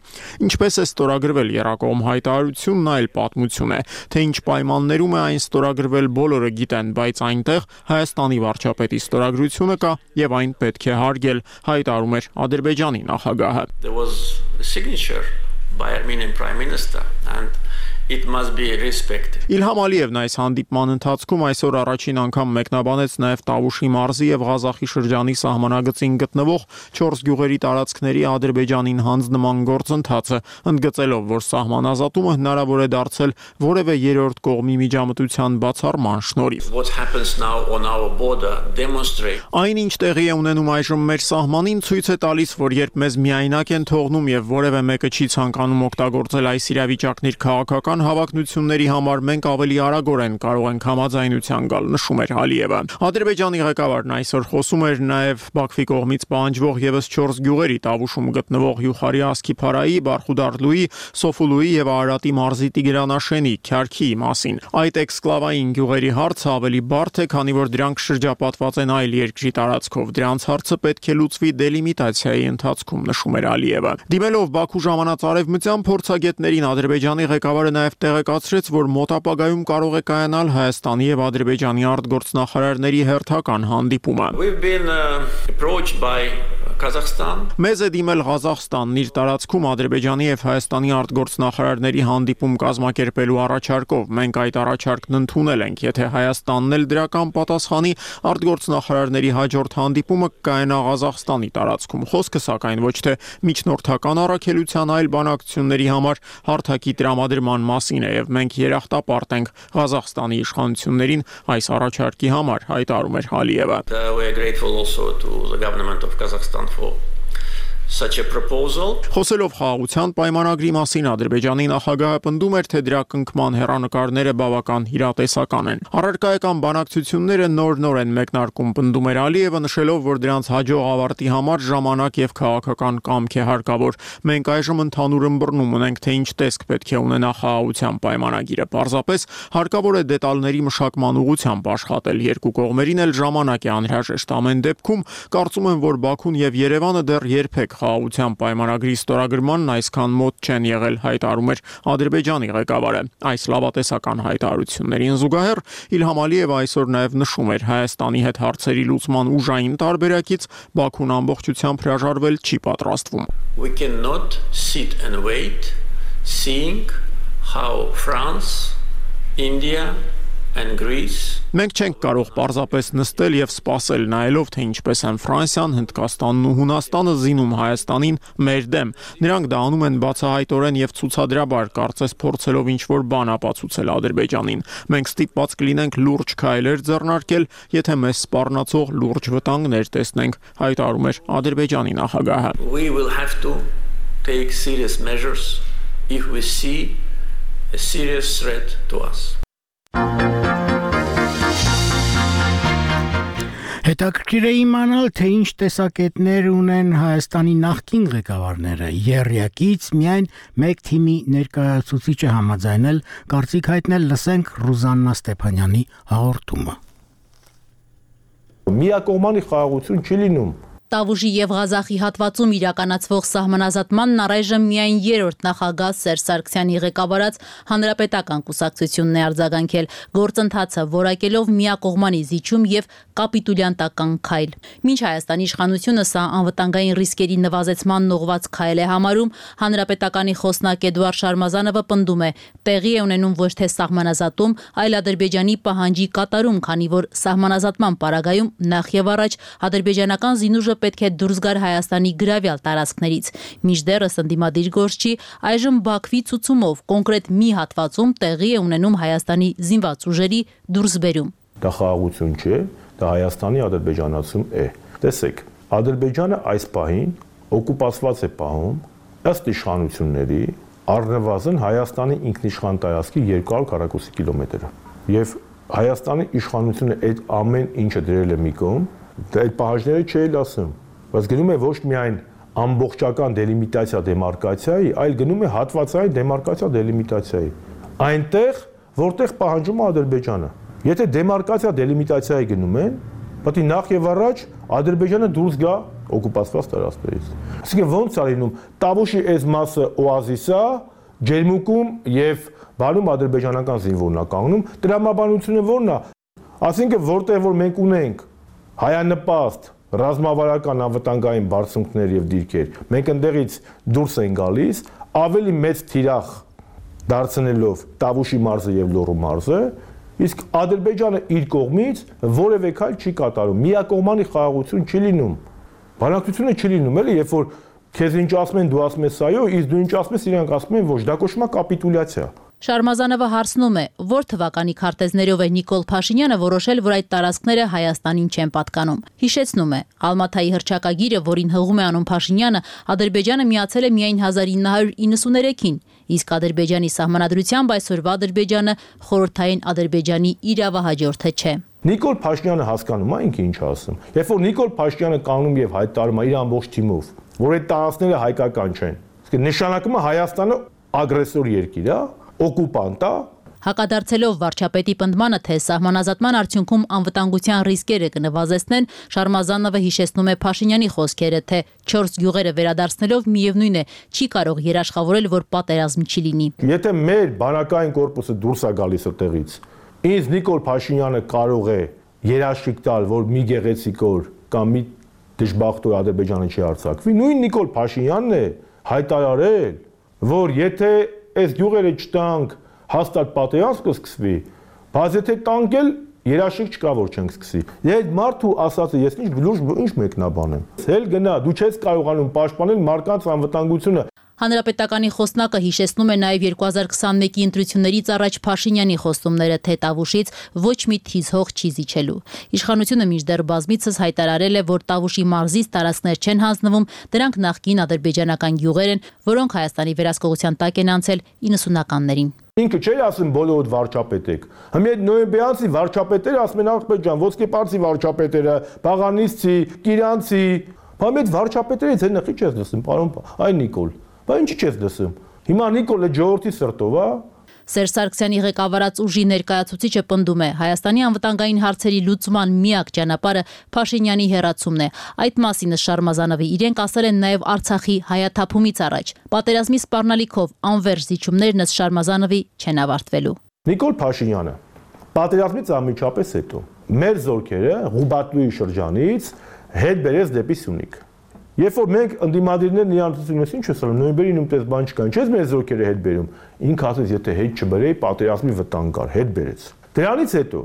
Ինչպես է ստորագրվել եռակողմ հայտարարությունն այլ պատմություն է, թե ինչ պայմաններում է այն ստորագրվել բոլորը գիտեն, բայց այնտեղ Հայաստանի վարչապետի ստորագրությունը կա եւ այն պետք է հարգել, հայտարարում էր Ադրբեջանի նախագահը։ There was a signature by Armenian Prime Minister and it must be respected. Իլհամ Ալիևն այս հանդիպման ընթացքում այսօր առաջին անգամ մեկնաբանեց նաև Տավուշի մարզի եւ Ղազախի շրջանի սահմանագծին գտնվող 4 գյուղերի տարածքների Ադրբեջանին հանձնման գործընթացը, ընդգծելով, որ սահմանազատումը հնարավոր է դարձել որևէ երրորդ կողմի միջամտության բացառման շնորհիվ։ What happens now on our border demonstrate. Այնինչ տեղի է ունենում այժմ մեր սահմանին ցույց է տալիս, որ երբ մեզ միայնակ են թողնում եւ որևէ մեկը չի ցանկանում օգտագործել այս իրավիճակն իր քաղաքական հավակնությունների համար, մենք ավելի արագորեն կարող ենք համաձայնության գալ, նշում էր Ալիևը։ Ադրբեջանի ղեկավարն այսօր խոսում էր նաև Բաքվի կողմից պահանջվող եւս 4 գյուղերի Տավուշում գտնվող Յուխարի Ասկիփարայի, Բարխուդարլուի, Սոֆուլուի եւ Արարատի մարզի Տիգրանաշենի, Քյարքիի մասին։ Այդ էքսկլավային գյուղերի հարցը ավելի բարդ է, քանի որ դրանք շրջապատված են այլ երկրի տարածքով։ Դրանց հարցը պետք է լուծվի դելիմիտացիայի ընթացքում, նշում էր Ալիևը։ Դիմելով Բաքու ժամանած արևմտյան փորձագետներին Ադրբեջանի ղեկավարը նաև տեղեկացրեց, որ մոտ ապագայում կարող է կայանալ Հայաստանի եւ Ադրբեջանի արտգործնախարարների հերթական հանդիպումը։ We've been approached by Kazakhstan. Մեզ է դիմել Ղազախստանն իր տարածքում Ադրբեջանի եւ Հայաստանի արտգործնախարարների հանդիպում կազմակերպելու առաջարկով։ Մենք այդ առաջարկն ընդունել ենք, եթե Հայաստանն էլ դրական պատասխանի, արտգործնախարարների հաջորդ հանդիպումը կկայանա Ղազախստանի տարածքում։ Խոսքը սակայն ոչ թե միջնորդական առաքելության, այլ բանակցությունների համար հարթակի տրամադրման մասին է եւ մենք երախտապարտ ենք Ղազախստանի իշխանություններին այս առաջարկի համար, հայտարարում էր Ալիևը։ We are grateful also to the government of Kazakhstan for such a proposal. Խոսելով խաղաղության պայմանագրի մասին Ադրբեջանի նախագահը պնդում էր, թե դրա կնքման հեռանկարները բավական իրատեսական են։ Առարկայական բանակցությունները նոր են մեկնարկում, պնդում էր Ալիևը, նշելով, որ դրանց հաջող ավարտի համար ժամանակ եւ քաղաքական կամք է հարկավոր։ Մենք այժմ ընդհանուր ըմբռնում ունենք, թե ինչ տեսք պետք է ունենա խաղաղության պայմանագիրը։ Պարզապես հարկավոր է դետալների մշակման ուղղությամբ աշխատել։ Երկու կողմերին էլ ժամանակ է անհրաժեշտ։ Ամեն դեպքում կարծում եմ, որ Բաքուն եւ Երևանը դեռ երբեք խաղաղության պայմանագրի ստորագրմանն այսքան մոտ չեն եղել, հայտարարում էր Ադրբեջանի ղեկավարը։ Այս լավատեսական հայտարարություններին զուգահեռ Իլհամ Ալիևը այսօր նաև նշում էր Հայաստանի հետ հարցերի լուծման ուժային տարբերակից Բաքուն ամբողջությամբ հրաժարվել չի պատրաստվում։ We cannot sit and wait seeing how France, India and Greece. Մենք չենք կարող պարզապես նստել եւ սպասել նայելով, թե ինչպես են Ֆրանսիան, Հնդկաստանն ու Հունաստանը զինում Հայաստանին մեր դեմ։ Նրանք դա անում են բացահայտորեն եւ ցուցադրաբար, կարծես փորձելով ինչ-որ բան ապացուցել Ադրբեջանին։ Մենք ստիպված կլինենք լուրջ քայլեր ձեռնարկել, եթե մեզ սպառնացող լուրջ վտանգներ տեսնենք, հայտարարում էր Ադրբեջանի նախագահը։ We will have to take serious measures if we see a serious threat to us. Հետաքրքիր է իմանալ, թե ինչ տեսակետներ ունեն Հայաստանի նախկին ղեկավարները։ Եռյակից միայն մեկ թիմի ներկայացուցիչ է համաձայնել կարծիք հայտնել, լսենք Ռուզաննա Ստեփանյանի հաղորդումը։ Միակողմանի խաղաղություն չի լինում։ Տավուշի եւ Ղազախի հատվածում իրականացվող սահմանազատմանն առայժմ միայն երրորդ նախագահ Սերժ Սարգսյանի ղեկավարած հանրապետական կուսակցությունն է արձագանքել, գործընթացը որակելով միակողմանի զիջում եւ կապիտուլյանտական քայլ։ Մինչ Հայաստանի իշխանությունը սա անվտանգային ռիսկերի նվազեցման ուղղված քայլ է համարում, հանրապետականի խոսնակ Էդուարդ Շարմազանովը պնդում է, տեղի է ունենում ոչ թե սահմանազատում, այլ Ադրբեջանի պահանջի կատարում, քանի որ սահմանազատման պարագայում նախ եւ առաջ ադրբեջանական զինուժը պետք է դուրս գար Հայաստանի գրավյալ տարածքներից։ Մինչդեռս ընդդիմադիր գործչի այժմ Բաքվի ցուցումով կոնկրետ մի հատվածում տեղի է ունենում Հայաստանի զինված ուժերի դուրսբերում։ Դա խաղաղություն չէ, դա Հայաստանի ադրբեջանացում է։ Տեսեք, Ադրբեջանը այս պահին օկուպացված է պահում ըստ իշխանությունների առնվազն Հայաստանի ինքնիշխան տարածքի 200 քառակուսի կիլոմետրը։ Եվ Հայաստանի իշխանությունը այդ ամեն ինչը դրել է մի կողմ, դա այդ պահանջները չէի ասում, բայց գնում է ոչ միայն ամբողջական դելիմիտացիա դեմարկացիայի, այլ գնում է հատվածային դեմարկացիա դելիմիտացիայի։ Այնտեղ, որտեղ պահանջում է Ադրբեջանը։ Եթե դեմարկացիա դելիմիտացիայի գնում են, պետք է նախ եւ առաջ Ադրբեջանը դուրս գա օկուպացված տարածքներից։ Այսինքն ո՞նց է լինում Տավուշի այս մասը օազիս է, ջերմուկում եւ բանում ադրբեջանական զինվորն է կանգնում, տրամաբանությունը ո՞րն է։ Այսինքն որտեղ որ մենք ունենք հայանպաստ ռազմավարական անվտանգային բարձունքներ եւ դիրքեր, մենք ընդեղից դուրս են գալիս, ավելի մեծ թիրախ դարձնելով Տավուշի մարզը եւ Լոռու մարզը, իսկ Ադրբեջանը իր կողմից որևէ քայլ չի կատարում, միակողմանի խաղաղություն չի լինում, բանակցությունը չի լինում, էլի, երբ որ քեզ ինչ ասում են, դու ասում ես այո, իսկ դու ինչ ասում ես, իրանք ասում են ոչ, դա կոչվում է կապիտուլյացիա։ Շարմազանովը հարցնում է, որ թվականի քարտեզներով է Նիկոլ Փաշինյանը որոշել, որ այդ տարածքները Հայաստանին չեն պատկանում։ Հիշեցնում է, Ալմաթայի հռչակագիրը, որին հղում է անում Փաշինյանը, Ադրբեջանը միացել է միայն 1993-ին, իսկ Ադրբեջանի սահմանադրությամբ այսօրվա Ադրբեջանը խորհրդային Ադրբեջանի իրավահաջորդը չէ։ Նիկոլ Փաշինյանը հասկանում է ինքը ինչ ասում։ Երբ որ Նիկոլ Փաշինյանը կանգնում եւ հայտարարում է իր ամբողջ թիմով, որ այդ տարածքները հայկական չեն, իսկ նշանակում է Հայաստանը ագրեսոր երկիր է, օկուպանտ է։ Հակադարձելով վարչապետի պնդմանը, թե սահմանազատման արդյունքում անվտանգության ռիսկերը կնվազեցնեն, Շարմազանովը հիշեցնում է Փաշինյանի խոսքերը, թե 4 գյուղերը վերադարձնելով միևնույն է, չի կարող երաշխավորել, որ պատերազմ չի լինի։ Եթե մեր բանակային կորպուսը դուրս է գալիս այդտեղից, ինձ Նիկոլ Փաշինյանը կարող է երաշխիք տալ, որ մի գեղեցիկ օր կամ մի դժբախտ օր Ադրբեջանը չի արձակվի, նույն Նիկոլ Փաշինյանն է հայտարարել, որ եթե այս գյուղերը չտանք, հաստատ պատերազմ կսկսվի, բայց եթե տանք էլ երաշխիք չկա, որ չենք սկսի։ Այդ մարդու ասածը ես ինչ մեկնաբան եմ։ Հել գնա, դու չես կարողանում պաշտպանել մարդկանց անվտանգությունը։ Հանրապետականի խոսնակը հիշեցնում է նաև 2021-ի ընտրություններից առաջ Փաշինյանի խոստումները, թե Տավուշից ոչ մի թիզ հող չի զիջելու։ Իշխանությունը մինչդեռ բազմիցս հայտարարել է, որ Տավուշի մարզից տարածքներ չեն հանձնվում, դրանք նախկին ադրբեջանական գյուղեր են, որոնք Հայաստանի վերահսկողության տակ են անցել 90-ականներին։ Ինքը չէր ասում բոլորդ վարչապետ եք։ Հիմա այդ նոյեմբերանցի վարչապետերը ասում են աղբեջան, ոսկեպարսի վարչապետերը, Բաղանիսցի, Կիրանցի, բայց այդ վարչապետերից հենց նխի չես լսում, պարոն, այ Նիկոլ։ Բայց ինչի՞ չես լսում։ Հիմա Նիկոլը ժողովրդի սրտով է։ Սերժ Սարգսյանի ղեկավարած ուժի ներկայացուցիչը պնդում է, Հայաստանի անվտանգային հարցերի լուծման միակ ճանապարհը Փաշինյանի հեռացումն է։ Այդ մասին Շարմազանովի իրենք ասել են նաև Արցախի հայաթափումից առաջ։ Պատերազմի սպառնալիքով անվերջ զիջումներն ըստ Շարմազանովի չեն ավարտվելու։ Նիկոլ Փաշինյանը պատերազմից անմիջապես հետո մեր զորքերը Ղուբատլուի շրջանից հետ բերեց դեպի Սյունիք։ Երբ որ մենք ընդդիմադիրներն իրան ասում են, ինչ ես անում, նոյեմբերին ումտես բան չկա, ինչպես մեր զորքերը հետ բերում։ Ինքը ասեց, եթե հետ չբերեի, պատերազմի վտանգ կար, հետ բերեց։ Դրանից հետո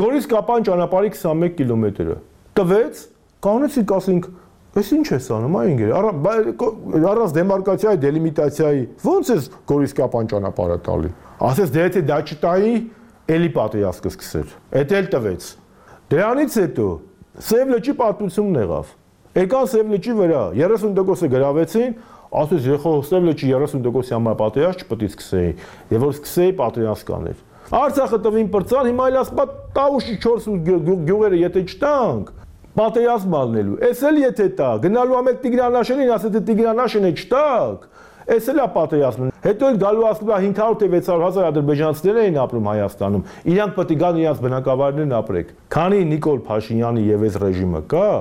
Գորիս Կապան ճանապարհի 21 կիլոմետրը տվեց, կանոնեցիք ասենք, այս ինչ ես անում, այ ինգեր, առանց դեմարկացիայի, դելիմիտացիայի, ո՞նց ես Գորիս Կապան ճանապարհը տալի։ Ասեց, դե եթե դա չտայի, էլի պատերազմ կսկսեր։ Էդ էլ տվեց։ Դրանից հետո Սև լճի պատմությունն եղավ։ Եկան Սև լճի վրա 30%-ը գրավեցին, ասես եղող Սև լճի 30%-ի համար պատերազմ չպետք է սկսեի, եւ որ սկսեի պատերազմ կաներ։ Արցախը տվին պրծան, հիմա էլ ասպա Տավուշի 4 գյուղերը եթե չտանք, պատերազմ ալնելու։ Էս էլ եթե տա, գնալու ամեն Տիգրանաշենին, ասես թե Տիգրանաշենը չտակ, էս էլ է պատերազմը։ Հետո էլ գալու ասպա 500 թե 600 հազար ադրբեջանցիներ էին ապրում Հայաստանում։ Իրանք պետք է գան իրենց բնակավայրներն ապրեք։ Քանի Նիկոլ Փաշինյանի եւ այս ռեժիմը կա,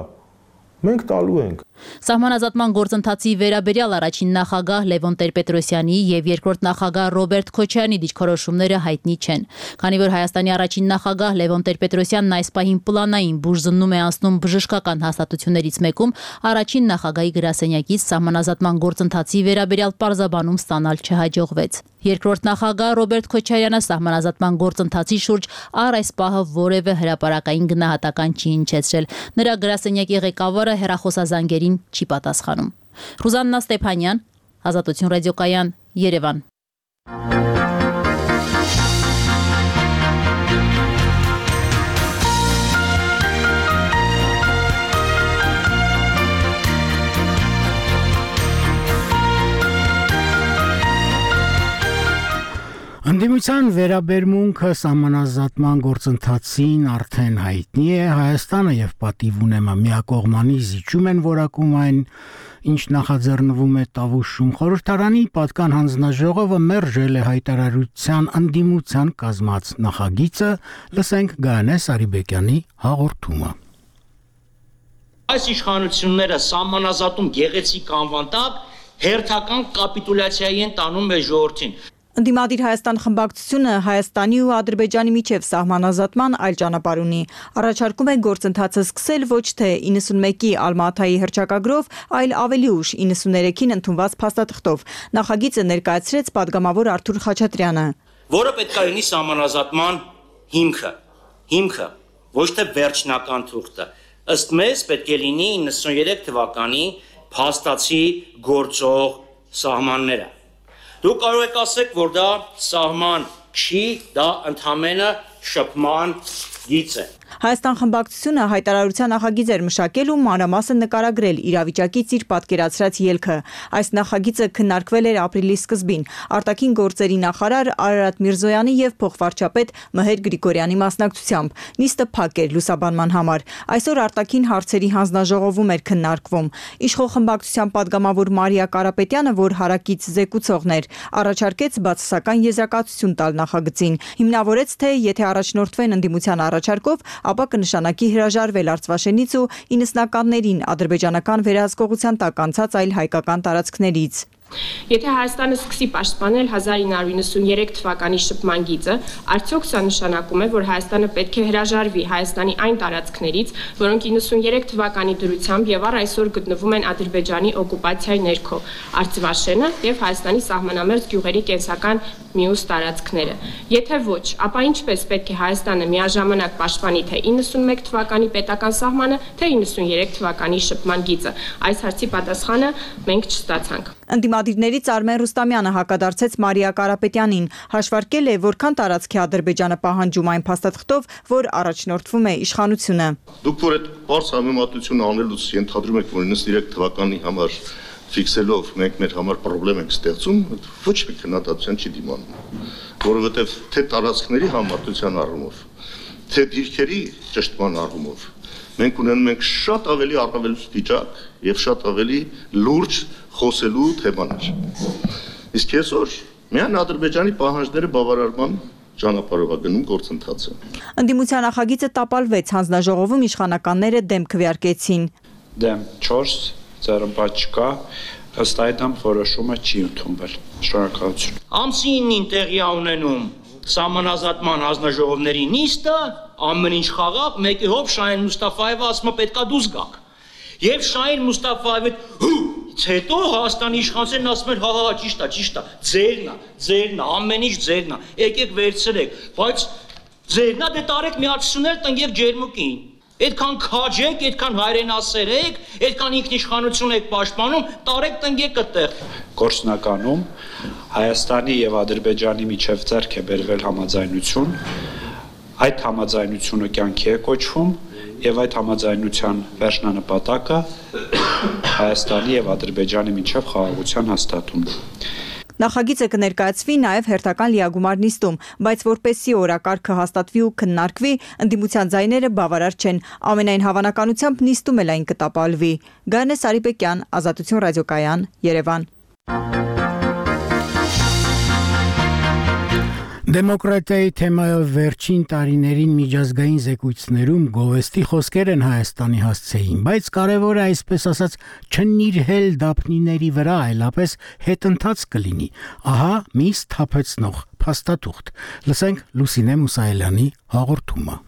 մենք տալու ենք։ Սահմանազատման գործընթացի վերաբերյալ առաջին նախագահ Լևոն Տեր-Պետրոսյանի եւ երկրորդ նախագահ Ռոբերտ Քոչարյանի դիրքորոշումները հայտնի չեն։ Քանի որ Հայաստանի առաջին նախագահ Լևոն Տեր-Պետրոսյանն այս պահին պլանային բուժզննում է անցնում բժշկական հաստատություններից մեկում, առաջին նախագահի գրասենյակից սահմանազատման գործընթացի վերաբերյալ պարզաբանում ստանալ չհաջողվեց։ Երկրորդ նախագահ Ռոբերտ Քոչարյանը սահմանազատման գործընթացի շուրջ առ այս պահը որևէ հրապարակային գնահատական չի հնչեցրել։ Նրա գրասենյակի ղեկավարը հեռախոսազանգերին չի պատասխանում։ Ռուզաննա Ստեփանյան, Ազատություն ռադիոկայան, Երևան։ Ընդդիմության վերաբերմունքը սահմանազատման գործընթացին արդեն հայտնի է, Հայաստանը եւ պատիվ ունեմա միակողմանի զիջում են որակում այն, ինչ նախաձեռնվում է Տավուշում։ Խորհրդարանի պատկան հանձնաժողովը մերժել է հայտարարության ընդդիմության կազմած նախագիծը, լսենք Գայանե Սարիբեկյանի հաղորդումը։ Այս իշխանությունները սահմանազատում գեղեցիկ անվան տակ հերթական կապիտուլյացիայի են տանում մեր ժողովրդին։ Ընդդիմադիր Հայաստան խմբակցությունը Հայաստանի ու Ադրբեջանի միջև սահմանազատման այլ ճանապարհ ունի։ Առաջարկում է գործընթացը սկսել ոչ թե 91-ի Ալմատայի հռչակագրով, այլ ավելի ուշ 93-ին ընդունված փաստաթղթով։ Նախագիծը ներկայացրեց падգամավոր Արթուր Խաչատրյանը, որը պետք է լինի սահմանազատման հիմքը, ոչ թե վերջնական թուղթը։ Ըստ մեզ պետք է լինի 93 թվականի փաստացի գործող սահմանները։ Դուք կարող եք ասեք, որ դա սահման չի, դա ընդհանրապես շփման գիծ է։ Հայաստան խմբակցությունը հայտարարության նախագիծ էր մշակել ու մանրամասն նկարագրել իրավիճակից իր պատկերացրած ելքը։ Այս նախագիծը քննարկվել էր ապրիլի սկզբին արտաքին գործերի նախարար Արարատ Միրզոյանի եւ փոխվարչապետ Մհեր Գրիգորյանի մասնակցությամբ։ Նիստը փակ էր լուսաբանման համար։ Այսօր արտաքին հարցերի հանձնաժողովում էր քննարկվում։ Իշխող խմբակցության падգամավոր Մարիա Կարապետյանը, որ հարակից զեկուցողն էր, առաջարկեց բացասական եզրակացություն տալ նախագծին։ Հիմնավորեց, թե եթե առաջնորդվեն ընդդիմության առաջարկով, ապա կնշանակի հրաժարվել Արցվաշենից ու 90-ականներին ադրբեջանական վերահսկողության տակ անցած այլ հայկական տարածքներից։ Եթե Հայաստանը սկսի պաշտպանել 1993 թվականի շփման գիծը, արդյոք սա նշանակում է, որ Հայաստանը պետք է հրաժարվի Հայաստանի այն տարածքներից, որոնք 93 թվականի դրությամբ եւ առ այսօր գտնվում են Ադրբեջանի օկուպացիայի ներքո, Արցվաշենը եւ Հայաստանի սահմանամերձ գյուղերի կենսական մյուս տարածքները։ Եթե ոչ, ապա ինչպես պետք է Հայաստանը միաժամանակ պաշտպանի թե 91 թվականի պետական սահմանը, թե 93 թվականի շփման գիծը։ Այս հարցի պատասխանը մենք չստացանք։ Ընդդիմադիրներից Արմեն Ռուստամյանը հակադարձեց Մարիա Կարապետյանին, հաշվարկել է, որքան տարածք է Ադրբեջանը պահանջում այն փաստաթղթով, որ առաջնորդվում է իշխանությունը։ Դուք որ այդ բարձ համեմատությունը անելուց ենթադրում եք, որ 93 թվականի համար ֆիքսելով մենք մեր համար խնդրեմ ենք ստեղծում, ոչ մի քննադատության չի դիմանում, որովհետև թե տարածքների համարտության առումով, թե դիրքերի ճշտման առումով մենք ունենում ենք շատ ավելի առավել վիճակ եւ շատ ավելի լուրջ խոսելու թեմաներ։ Իսկ այսօր միայն Ադրբեջանի պահանջները բավարարման ճանապարհով է գնում գործընթացը։ Ընդդիմության նախագիծը տապալվեց, հանձնաժողովում իշխանականները դեմ քվեարկեցին։ Դեմ 4 ծառայապատ չկա, ըստ այդմ որոշումը չի ընդունվել։ Շնորհակալություն։ Ամսի 9-ին տեղի ունենում սահմանազատման հանձնաժողովների նիստը, ամեն ինչ խաղաղ, մեկի հոբ Շահին Մուստաֆայևը ասում է պետքա դուրս գաք։ Եվ Շահին Մուստաֆայևը հետո Հայաստանի իշխանությունն ասում են հա ճիշտ է, ձերն է, ամեն ինչ ձերն է, եկեք վերցրեք, բայց ձերն է դե տարեք միացություններ տնք եւ ջերմուկին։ Այդքան քաջեք, այդքան հայրենասեր եք, այդքան ինքնիշխանություն եք պաշտպանում, տարեք տնկեք այդտեղ։ Գործնականում Հայաստանի եւ Ադրբեջանի միջև ձեռք է բերվել համաձայնություն, այդ համաձայնությունը կյանքի է կոչվում եւ այդ համաձայնության վերջնանպատակը Հայաստանի եւ Ադրբեջանի միջև խաղաղության հաստատումն է։ Նախագիծը կներկայացվի նաև հերթական լիագումար նիստում, բայց որպեսզի օրակարգը հաստատվի ու քննարկվի, ընդդիմության ձայները բավարար չեն։ Ամենայն հավանականությամբ նիստում էլ այն կտապալվի։ Գայանե Սարիբեկյան, Ազատություն ռադիոկայան, Երևան։ Դեմոկրատիայի թեմայով վերջին տարիներին միջազգային զեկույցներում գովեստի խոսքեր են Հայաստանի հասցեին, բայց կարևորը այսպես ասած չնիրհել դափնիների վրա, այլապես հետընթաց կլինի։ Ահա մի սթափեցնող փաստաթուղթ։ Լսենք Լուսինե Մուսայելյանի հաղորդումը։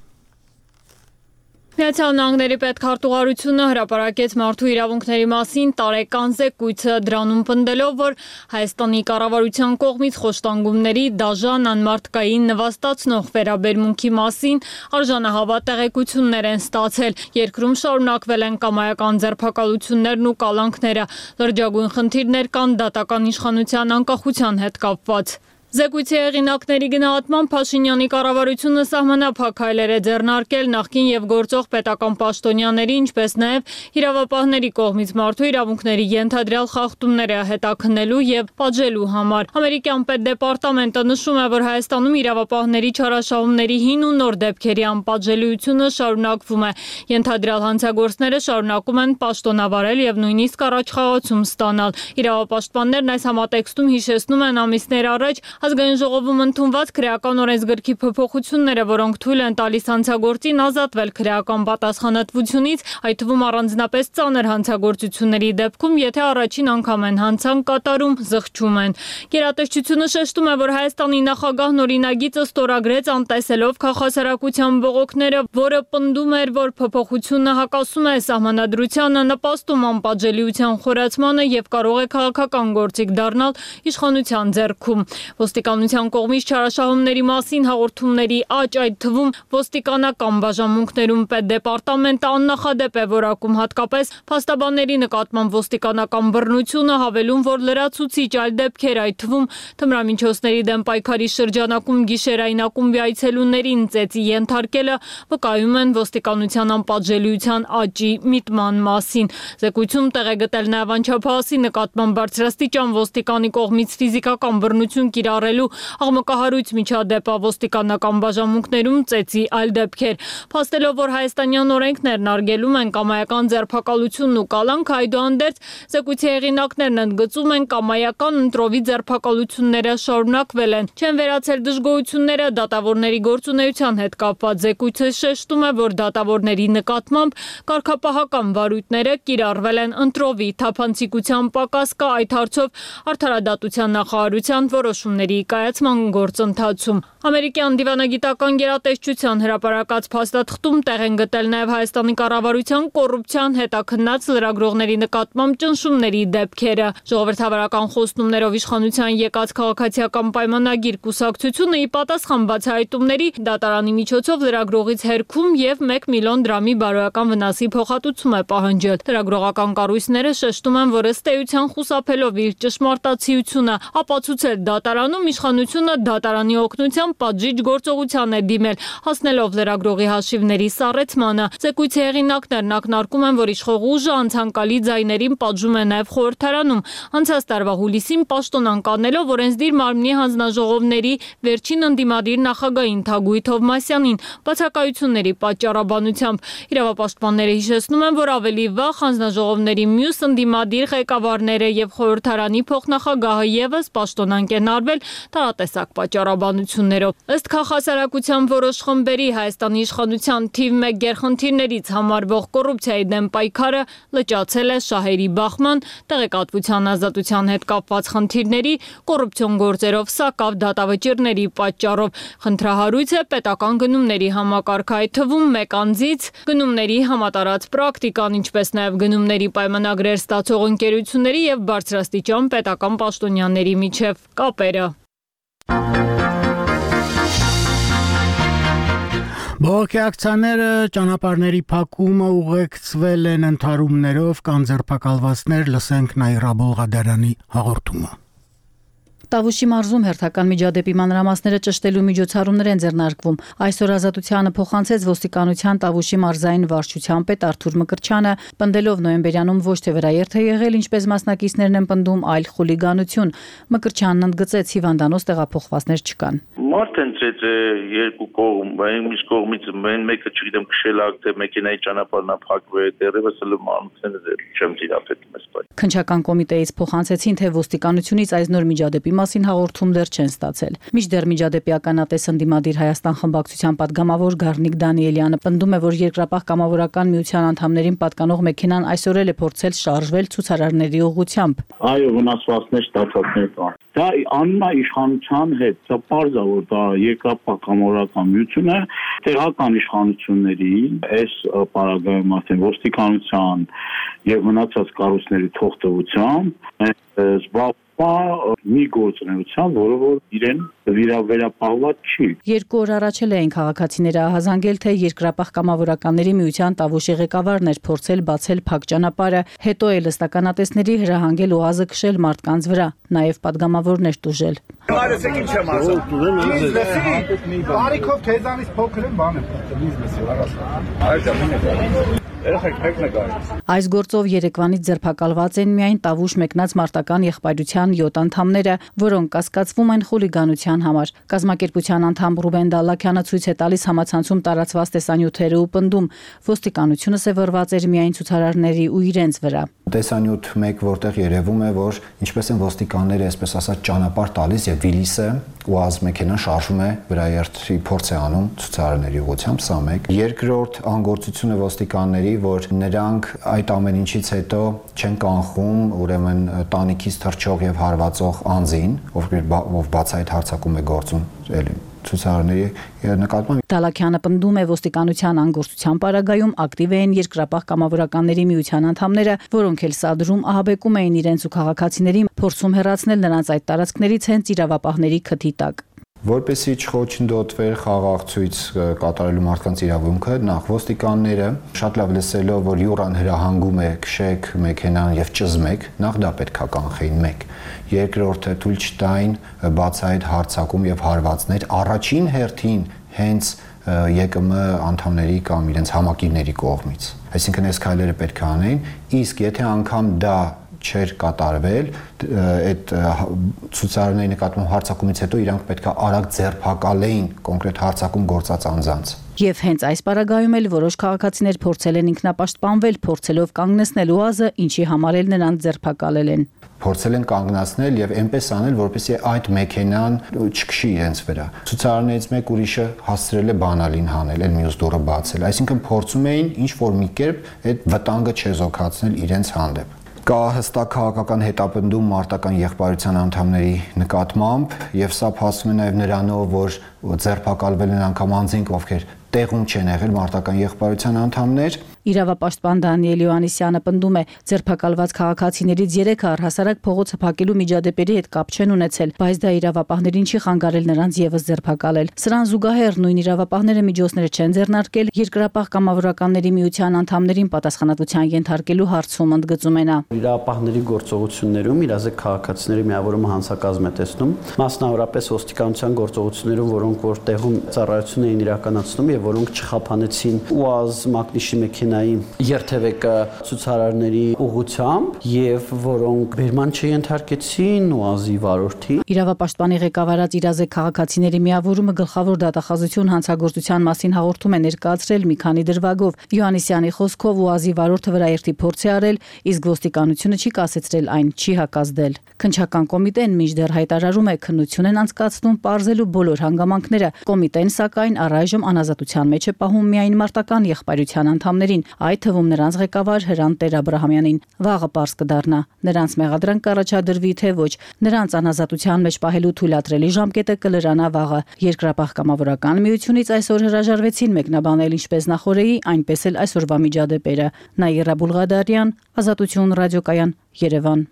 Միացյալ Նահանգների պետքարտուղարությունը հրապարակեց մարդու իրավունքների մասին տարեկան զեկույցը, դրանում պնդելով, որ Հայաստանի կառավարության կողմից խոշտանգումների դաժան անմարդկային նվաստացնող վերաբերմունքի մասին արժանահավատ տեղեկություններ են ստացել։ Երկրում շարունակվել են կամայական ձերբակալություններն ու կալանքները, լրջագույն խնդիրներ կան դատական իշխանության անկախության հետ կապված։ Զեկույցի հեղինակների գնահատմամբ Փաշինյանի կառավարությունը սահմանափակ քայլեր է ձեռնարկել նախկին եւ գործող պետական պաշտոնյաների, ինչպես նաեւ իրավապահների կողմից մարդու իրավունքների ենթադրյալ խախտումները հետաքննելու եւ պատժելու համար։ Ամերիկյան պետդեպարտամենտը նշում է, որ Հայաստանում իրավապահների չարաշահումների հին ու նոր դեպքերի անպատժելիությունը շարունակվում է։ Ենթադրյալ հանցագործները շարունակում են պաշտոնավարել եւ նույնիսկ առաջխաղացում ստանալ։ Իրավապաշտպաններն այս համատեքստում հիշեցնում են ամիսներ առաջ Ազգային ժողովում ընդունված քրեական օրենսգրքի փոփոխությունները, որոնք թույլ են տալիս հանցագործին ազատվել քրեական պատասխանատվությունից, այդ թվում առանձնապես ծանր հանցագործությունների դեպքում, եթե առաջին անգամ են հանցանք կատարում, զղջում են։ Գերատեսչությունը շեշտում է, որ Հայաստանի նախագահն օրինագիծը ստորագրեց անտեսելով քաղաքասարակության բողոքները, որը պնդում էր, որ փոփոխությունը հակասում է սահմանադրությանը, նպաստում անպատժելիության խորացմանը եւ կարող է քաղաքական գործիք դառնալ իշխանության ձեռքում։ Ոստիկանության կողմից չարաշահումների մասին հաղորդումների աճ, այդ թվում ոստիկանական բաժանմունքներում պետդեպարտամենտը աննախադեպ է որակում, հատկապես փաստաբանների նկատմամբ ոստիկանական բռնությունը, հավելում, որ լրացուցիչ այլ դեպքեր, այդ թվում թմրամիջոցների դեմ պայքարի շրջանակում գիշերային ակումբի այցելուներին ծեծի ենթարկելը վկայում են ոստիկանության անպատժելիության աճի միտման մասին։ Զեկույցում տեղ է գտել նաև անչափահասի նկատմամբ բարձրաստիճան ոստիկանի կողմից ֆիզիկական բռնություն կիրառելու աղմկահարույց միջադեպ ոստիկանական բաժանմունքներում ծեծի այլ դեպքեր։ Փաստելով, որ հայաստանյան օրենքներն արգելում են կամայական ձերբակալությունն ու կալանքը, այդուհանդերձ զեկույցի հեղինակներն ընդգծում են կամայական ընտրովի ձերբակալությունները շարունակվել են։ Չեն վերացել դժգոհությունները դատավորների գործունեության հետ կապված։ Զեկույցը շեշտում է, որ դատավորների նկատմամբ կարգապահական վարույթները կիրառվել են ընտրովի թափանցիկության պակաս կա այդ հարցով արդարադատության նախարարության որոշումների կայացման գործընթացում։ Ամերիկյան դիվանագիտական գերատեսչության հրապարակած փաստաթղթում տեղ են գտել նաև Հայաստանի կառավարության կոռուպցիան հետաքննած լրագրողների նկատմամբ ճնշումների դեպքերը։ Ժողովրդավարական խոստումներով իշխանության եկած քաղաքացիական պայմանագիր կուսակցությունը ի պատասխան բացահայտումների դատարանի միջոցով լրագրողից հերքում եւ 1 միլիոն դրամի բարոյական վնասի փոխհատուցում է պահանջել։ Լրագրողական կառույցները շեշտում են, որ ըստ էության խուսափելով իր ճշմարտացիությունը ապացուցել դատարանում իշխանությունը դատարանի օգնությամբ պատժիչ գործողության է դիմել, հասնելով լրագրողի հաշիվների սառեցմանը։ Զեկույցի հեղինակներն ակնարկում են, որ իշխող ուժը անցանկալի ձայներին պատժում է նաև խորհրդարանում։ Անցած տարվա հուլիսին պաշտոն անկանելով օրենսդիր մարմնի հանձնաժողովների վերջին ընդդիմադիր նախագահին Թագուհի Թովմասյանին բացակայությունների պատճառաբանությամբ։ Իրավապաշտպանները հիշեցնում են, որ ավելի վաղ հանձնաժողովների մյուս ընդդիմադիր ղեկավարները եւ խորհրդարանի փոխնախագահը եւս պաշտոնանկ են արվել տարատեսակ պատճառաբանություններով։ Ըստ քաղաքասարակության որոշ խմբերի Հայաստանի իշխանության թիվ 1 գերխնդիրներից համարվող կոռուպցիայի դեմ պայքարը լճացել է շահերի բախման, տեղեկատվության ազատության հետ կապված խնդիրների, կոռուպցիոն գործերով սակավ դատավճիռների պատճառով։ Խնդրահարույց է պետական գնումների համակարգը, այդ թվում մեկ անձից գնումների համատարած պրակտիկան, ինչպես նաև գնումների պայմանագրեր ստացող ընկերությունների եւ բարձրաստիճան պետական պաշտոնյաների միջև կապերը։ Բողոքի ակցիաները, ճանապարհների փակումը ուղեկցվել են ընդհարումներով կամ ձերբակալվածներ, լսենք Նաիրա Բոլղադարյանի հաղորդումը։ Տավուշի մարզում հերթական միջադեպի մանրամասները ճշտելու միջոցառումներ են ձեռնարկվում։ Այսօր Ազատությանը փոխանցեց ոստիկանության Տավուշի մարզային վարչության պետ Արթուր Մկրտչյանը, պնդելով նոյեմբերյանում ոչ թե վերաերթ է եղել, ինչպես մասնակիցներն են պնդում, այլ խուլիգանություն։ Մկրտչյանն ընդգծեց, հիվանդանոց տեղափոխվածներ չկան։ Մարդ ընտրեց երկու կողմ, մյուս կողմից մեկը չգիտեմ քշել ակ թե մեքենայի ճանապարհն փակվել, դեռևս էլ մանուկները չեմ դիապետում այս բանը։ Քննչական կոմիտեից փոխանցեցին, թե ոստիկանությունից այս նոր միջադեպի մասին հաղորդում դեռ չեն ստացել։ Մինչդեռ միջադեպի ականատես ընդդիմադիր Հայաստան խմբակցության պատգամավոր Գառնիկ Դանիելյանը պնդում է, որ Երկրապահ կամավորական միության անդամներին պատկանող մեքենան այսօր էլ է փորձել շարժվել ցուցարարների ուղղությամբ։ Այո, վնասվածքներ ստացածներ կան։ Դա անունա իշխանության հետ, դա պարզ է, որ դա Երկրապահ կամավորական միությունը տեղական իշխանությունների այս պարագայում ասեն ոստիկանության եւ մնացած կառույցների թողտվությամբ մի գործունեության, որը որ իրեն վերապահված չի։ 2 օր առաջ էին քաղաքացիները ահազանգել, թե Երկրապահ կամավորականների միության Տավուշի ղեկավարն էր փորձել բացել փակ ճանապարհը, հետո էլ ըստականատեսների հրահանգել օազը քշել մարդկանց վրա, նաև падգամավորն էր տուժել։ Արեցեք ինչ եմ ասում։ Բարիքով քեզանից փոքր եմ, բան եմ։ Այս գործով Երևանից ձերբակալված են միայն Տավուշ մեկնած մարտական եղբայրության 7 անդամները, որոնք կասկածվում են խուլիգանության համար։ Կազմակերպության անդամ Ռուբեն Դալլաքյանը ցույց է տալիս համացանցում տարածված տեսանյութերը ու պնդում, ոստիկանությունը սևորված էր միայն ցուցարարների ու իրենց վրա։ Տեսանյութ 1, որտեղ երևում է, որ ինչպես են ոստիկանները, այսպես ասած, ճանապարհ տալիս եւ Վիլիսը ՈՒԱԶ մեքենան շարժվում է վրաերթի փորձ է անում ցուցարարների ուղղությամբ, սա մեկ։ Երկրորդ անգործությունը ոստիկանների, որ նրանք այդ ամեն ինչից հետո չեն կանխում, ուրեմն տանիքից թռչող եւ հարվածող անձին, ով բացահայտ հարձակում է գործում, էլի ցուցարարների նկատմամբ։ Դալաքյանը պնդում է ոստիկանության անգործության պարագայում ակտիվ էին Երկրապահ կամավորականների միության անդամները, որոնք էլ սադրում ահաբեկում էին իրենց ու քաղաքացիներին, փորձում հեռացնել նրանց այդ տարածքներից հենց իրավապահների քթի տակ։ Որպեսզի չխոչընդոտվեր խաղաղ ցույց կատարելու մարդկանց իրավունքը, նախ ոստիկանները շատ լավ լսելով, որ յուռան հրահանգում է քշեք մեքենան եւ ճզմեք, նախ դա պետքա կանխեին 1։ Երկրորդը թույլ չտային բացահայտ հարձակում եւ հարվածներ առաջին հերթին հենց ԵԿՄ անդամների կամ իրենց համակիրների կողմից։ Այսինքն այս քայլերը պետք է անեին, իսկ եթե անգամ դա չէր կատարվել, այդ ցուցարարների նկատմամբ հարձակումից հետո իրանք պետք է արագ ձերբակալեին կոնկրետ հարձակում գործած անձանց։ Եվ հենց այս պարագայում էլ որոշ քաղաքացիներ փորձել են ինքնապաշտպանվել, փորձելով կանգնեցնել ՈՒԱԶ-ը, ինչի համար էլ նրանց ձերբակալել են։ Փորձել են կանգնացնել եւ այնպես անել, որպեսզի այդ մեքենան չքշի իրենց վրա։ Ցուցարարներից մեկ ուրիշը հասցրել է բանալին հանել, այն մյուս դուռը բացել։ Այսինքն փորձում էին ինչ որ մի կերպ այդ վտանգը չեզոքացնել իրենց հանդեպ։ Կա հստակ քաղաքական հետապնդում մարտական եղբայրության անդամների նկատմամբ եւ սա փաստում է նաեւ նրանով, որ ձերբակալվել են անգամ անձինք, ովքեր տեղում չեն եղել մարտական եղբայրության անդամներ։ Իրավապաշտպան Դանիել Յոհաննիսյանը պնդում է, ձերբակալված քաղաքացիներից 3-ը առհասարակ փողոցը փակելու միջադեպերի հետ կապ չեն ունեցել, բայց դա իրավապահներին չի խանգարել նրանց եւս ձերբակալել։ Սրան զուգահեռ նույն իրավապահները միջոցները չեն ձեռնարկել Երկրապահ կամավորականների միության անդամներին պատասխանատվության ենթարկելու հարցում, ընդգծում է նա։ Իրավապահների գործողություններում իրազեկ քաղաքացիների միավորումը հանցակազմ է տեսնում, մասնավորապես ոստիկանության գործողություններում, որոնք որ տեղում ծառայություն էին իրականացնում եւ որոնք չխափանեցին ՈՒԱԶ մակնիշի մեքենայի երթևեկը ցուցարարների ուղղությամբ եւ որոնք բերման չենթարկեցին ՈՒԱԶ-ի վարորդի։ Իրավապաշտպանի ղեկավարած իրազեկ քաղաքացիների միավորումը գլխավոր դատախազություն հանցագործության մասին հաղորդում է ներկայացրել մի քանի դրվագով։ Յոհաննիսյանի խոսքով ՈՒԱԶ-ի վարորդը վրաերթի փորձ է արել, իսկ ոստիկանությունը չի կասեցրել այն, չի հակազդել։ Քննչական կոմիտեն մինչդեռ հայտարարում է քննություն են անցկացնում պարզելու բոլոր հանգամանքները։ Կոմիտեն սակայն առայժմ անազատության մեջ է պահում միայն մարտական եղբայրության անդամներին, այդ թվում նրանց ղեկավար Հրանտ Տեր-Աբրահամյանին։ Վաղը պարզ կդառնա, նրանց մեղադրանք կառաջադրվի թե ոչ։ Նրանց անազատության մեջ պահելու թույլատրելի ժամկետը կլրանա վաղը։ Երկրապահ կամավորական միությունից այսօր հրաժարվեցին մեկնաբանել ինչպես նախորդի, այնպես էլ այսօրվա միջադեպերը։ Նաիրա Բուլղադարյան, Ազատություն ռադիոկայան, Երևան։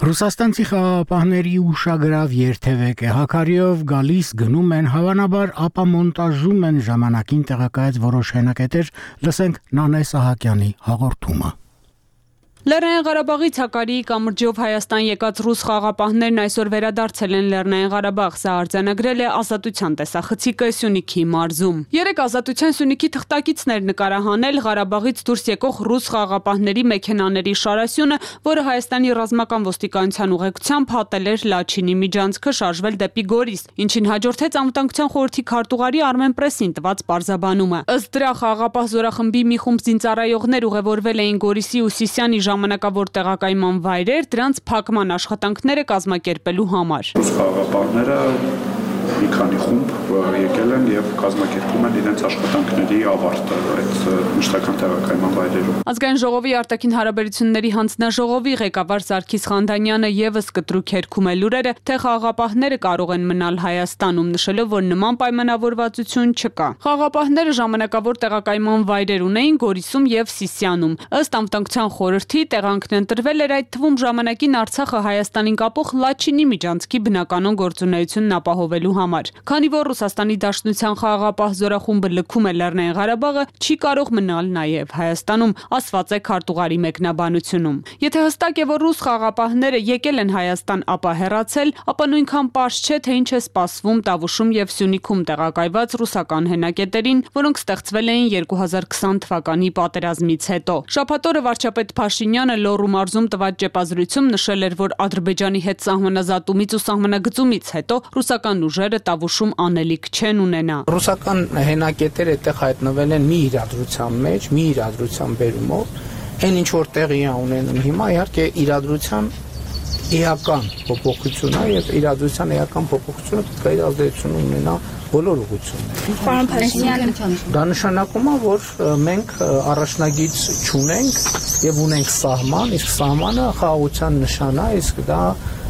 Ռուսաստանցի խաղաղապահների ուշագրավ երթևեկը հակարիով գալիս գնում են, հավանաբար ապամոնտաժում են ժամանակին տեղակայած որոշ հենակետեր, լսենք Նանե Սահակյանի հաղորդումը։ Լեռնային Ղարաբաղից Հակարիի կամրջով Հայաստան եկած ռուս խաղաղապահներն այսօր վերադարձել են Լեռնային Ղարաբաղ, սա արձանագրել է Ազատության տեսախցիկը Սյունիքի մարզում։ Երեք Ազատության Սյունիքի թղթակիցներ նկարահանել Ղարաբաղից դուրս եկող ռուս խաղաղապահների մեքենաների շարասյունը, որը Հայաստանի ռազմական ոստիկանության ուղեկցությամբ հատել էր Լաչինի միջանցքը շարժվել դեպի Գորիս, ինչին հաջորդեց Անվտանգության խորհրդի քարտուղարի Արմեն Պրեսին տված պարզաբանումը։ Ըստ դրա խաղաղապահ զորախմբի մի խումբ զինծառայողներ ուղևորվել էին Գորիսի ու Սիսիանի ժամանակավոր տեղակայման վայրեր դրանց փակման աշխատանքները կազմակերպելու համար։ Ռուս խաղաղապահները մի քանի խումբ եկել են եւ կազմակերպում են իրենց աշխատանքների ավարտը այդ մշտական տեղակայման վայրերում։ Ազգային ժողովի արտաքին հարաբերությունների հանձնաժողովի ղեկավար Սարգիս Խանդանյանը եւս կտրուկ հերքում է լուրերը, թե խաղաղապահները կարող են մնալ Հայաստանում, նշելով, որ նման պայմանավորվածություն չկա։ Խաղաղապահները ժամանակավոր տեղակայման վայրեր ունեին Գորիսում եւ Սիսիանում։ Ըստ անվտանգության խորհրդի տեղանքն ընտրվել էր այդ թվում ժամանակին Արցախը Հայաստանին կապող Լաչինի միջանցքի բնականon գործունեությունն ապահովելու համար։ Քանի որ Ռուսաստանի Դաշնության խաղաղապահ զորախումբը լքում է Լեռնային Ղարաբաղը, չի կարող մնալ նաև Հայաստանում, ասված է քարտուղարի մեկնաբանությունում։ Եթե հստակ է, որ ռուս խաղաղապահները եկել են Հայաստան, ապա հեռացել, ապա նույնքան պարզ չէ, թե ինչ է սպասվում Տավուշում եւ Սյունիքում տեղակայված ռուսական հենակետերին, որոնք ստեղծվել էին 2020 թվականի պատերազմից հետո։ Շաբաթ օրը վարչապետ Փաշինյանը Լոռու մարզում տված ճեպազրույցում նշել էր, որ Ադրբեջանի հետ սահմանազատումից ու սահմանագծումից հետո ռուսական ուժերը Տավուշում անելիք չեն ունենա։ Ռուսական հենակետերը այդտեղ հայտնվել են մի իրադրության մեջ, մի իրադրության բերումով, այն ինչ որ տեղի է ունենում հիմա, իհարկե իրադրության էական փոփոխություն է եւ իրադրության էական փոփոխությունը պետք է իր ազդեցություն ունենա բոլոր ուղղություններին։ Պարոն Փաշինյան, դա նշանակում է, որ մենք առաջնագիծ չունենք եւ ունենք սահման, իսկ սահմանը խաղաղության նշան է, իսկ դա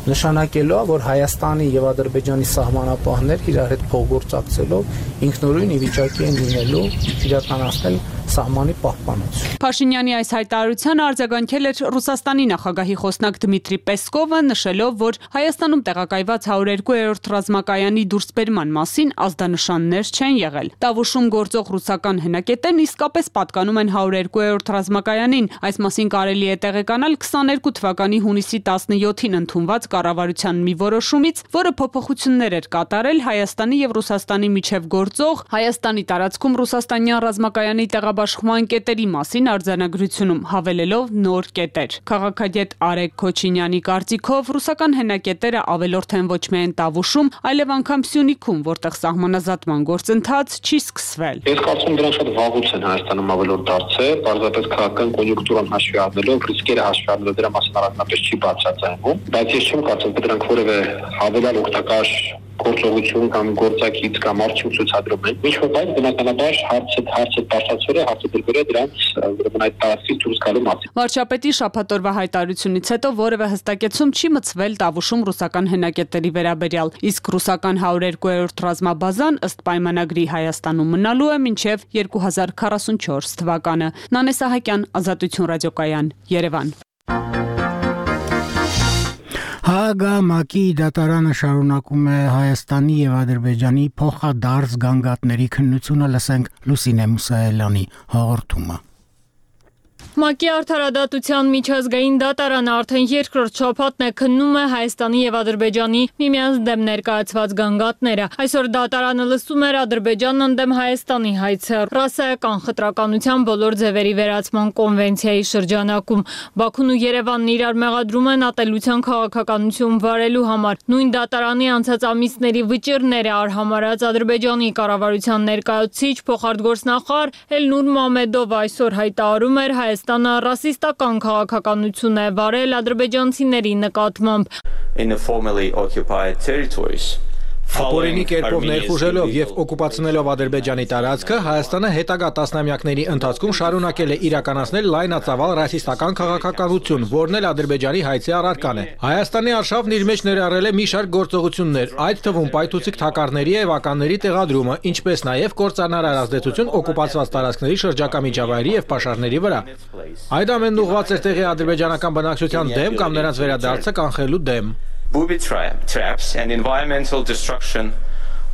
նշանակելով, որ Հայաստանի եւ Ադրբեջանի սահմանապահներ իրար հետ փոխգործակցելով ինքնուրույն ի վիճակի են լինելու իրականացնել սահմանի պահպանություն։ Փաշինյանի այս հայտարարությանը արձագանքել էր Ռուսաստանի նախագահի խոսնակ Դմիտրի Պեսկովը, նշելով, որ Հայաստանում տեղակայված 102-րդ ռազմակայանի դուրսբերման մասին ազդանշաններ չեն եղել։ Տավուշում գործող ռուսական հենակետերն իսկապես պատկանում են 102-րդ ռազմակայանին։ Այս մասին կարելի է տեղեկանալ 22 թվականի հունիսի 17-ին ընդունված կառավարության մի որոշումից, որը փոփոխություններ էր կատարել Հայաստանի եւ Ռուսաստանի միջև գործող Հայաստանի տարածքում ռուսաստանյան ռազմակայանի տեղաբաշխման կետերի մասին արձանագրությունում, հավելելով նոր կետեր։ Քաղաքագետ Արեգ Քոչինյանի կարծիքով ռուսական հենակետերը ավելորդ են ոչ միայն Տավուշում, այլև անգամ Սյունիքում, որտեղ սահմանազատման գործընթաց չի սկսվել։ Ես կարծում եմ դրանք շատ վաղուց են Հայաստանում ավելորդ դարձել, պարզապես քաղաքական կոնյունկտուրան հաշվի առնելով, ռիսկերը հաշվի առնելով դրա մասին առանձնապես չի բացատրվում, բայց ես չեմ կարծում, որ դրանք որևէ հավելյալ օգտակար գործողություն կամ գործակից կամ արդյունք ցուցադրում են։ Ինչ որ բայց բնականաբար հարցը բարձրացվել է, հարցը դրվել է դրանց ուրեմն այդ տարածքից դուրս գալու մասին։ Վարչապետի շաբաթօրվա հայտարարությունից հետո որևէ հստակեցում չի մցվել Տավուշում ռուսական հենակետերի վերաբերյալ, իսկ ռուսական 102-րդ ռազմաբազան ըստ պայմանագրի Հայաստանում մնալու է մինչև 2044 թվականը։ Նանե Սահակյան, Ազատություն ռադիոկայան, Երևան։ ՀԱԳ-ՄԱԿ-ի դատարանը շարունակում է Հայաստանի եւ Ադրբեջանի փոխադարձ գանգատների քննությունը, լսենք Լուսինե Մուսայելյանի հաղորդումը։ ՄԱԿ-ի արդարադատության միջազգային դատարանը արդեն երկրորդ շաբաթն է քննում է Հայաստանի եւ Ադրբեջանի միմյանց դեմ ներկայացված գանգատները։ Այսօր դատարանը լսում էր Ադրբեջանն ընդդեմ Հայաստանի հայցը ռասայական խտրականության բոլոր ձևերի վերացման կոնվենցիայի շրջանակում։ Բաքուն ու Երևանն իրար մեղադրում են ատելության քաղաքականություն վարելու համար։ Նույն դատարանի անցած ամիսների վճիռները արհամարած Ադրբեջանի կառավարության ներկայացուցիչ փոխարտգործնախարար Էլնուր Մամեդովը այսօր հայտարարում էր Հայաստանը ռասիստական քաղաքականություն է վարել ադրբեջանցիների նկատմամբ։ In the formerly occupied territories. Ապօրինի կերպով ներխուժելով եւ օկուպացնելով Ադրբեջանի տարածքը, Հայաստանը հետագա տասնամյակների ընթացքում շարունակել է իրականացնել լայնածավալ ռասիստական քաղաքականություն, որն էլ Ադրբեջանի հայցի առարկան է։ Հայաստանի արշավն իր մեջ ներառել է մի շարք գործողություններ, այդ թվում պայթուցիկ թակարդների եւ ականների տեղադրումը, ինչպես նաեւ կործանարար ազդեցություն օկուպացված տարածքների շրջակա միջավայրի եւ պաշարների վրա։ Այդ ամենն ուղղված էր տեղի ադրբեջանական բնակչության դեմ կամ նրանց վերադարձը կանխելու դեմ։ Booby traps and environmental destruction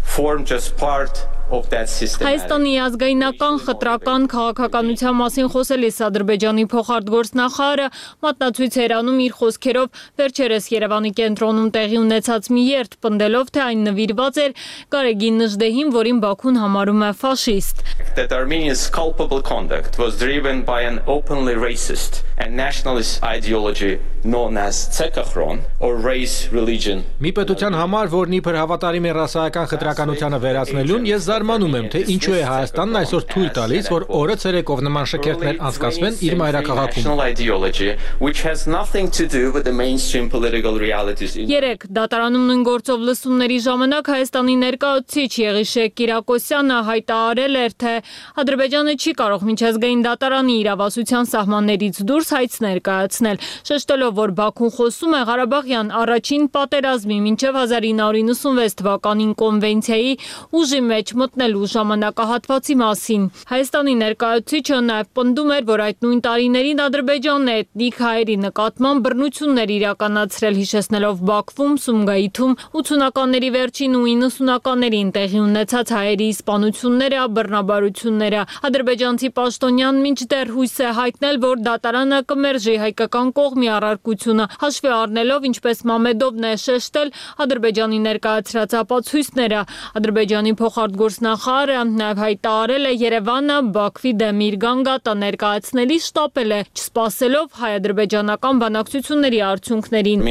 form just part of that system. Հայաստանի ազգայնական խտրական քաղաքականության մասին խոսելիս Ադրբեջանի փոխարտգործնախարարը մատնացույց էր անում իր խոսքերով վերջերս Երևանի կենտրոնում տեղի ունեցած մի երթ, պնդելով, թե այն նվիրված էր Գարեգին Նժդեհին, որին Բաքուն համարում է ֆաշիստ։ That Armenia's culpable conduct was driven by an openly racist and nationalist ideology known as Tsekakhron or race religion. Մի պետության համար, որն իբր հավատարիմ է ռասայական խտրականությանը վերացնելուն, ես Զարմանում եմ, թե ինչու է Հայաստանն այսօր թույլ տալիս, որ օրը ցերեկով նման շքերթներ անցկացվեն իր մայրաքաղաքում։ Երեք դատարանում նույն գործով լսումների ժամանակ Հայաստանի ներկայացուցիչ Եղիշեկ Կիրակոսյանը հայտարարել էր, թե Ադրբեջանը չի կարող միջազգային դատարանի իրավասության սահմաններից դուրս հայց ներկայացնել, շեշտելով, որ Բաքուն խոսում է Ղարաբաղյան առաջին պատերազմի մինչև 1996 թվականին կոնվենցիայի ուժի մեջ մտնելու ժամանակահատվածի մասին։ Հայաստանի ներկայացուցիչը նաև պնդում էր, որ այդ նույն տարիներին Ադրբեջանն է էթնիկ հայերի նկատմամբ բռնություններ իրականացրել, հիշեցնելով Բաքվում, Սումգայիթում 80-ականների վերջին ու 90-ականներին տեղի ունեցած հայերի սպանությունները, բռնաբարությունները։ Ադրբեջանցի պաշտոնյան մինչդեռ հույս է հայտնել, որ դատարանը կմերժի հայկական կողմի առարկությունը, հաշվի առնելով, ինչպես Մամեդովն է շեշտել, Ադրբեջանի ներկայացրած ապացույցները։ Ադրբեջանի փոխարտգործնախարարը նաև հայտարարել է Երևանը Բաքվի դեմ իր գանգատը ներկայացնելիս շտապել է, չսպասելով հայ-ադրբեջանական բանակցությունների արդյունքներին։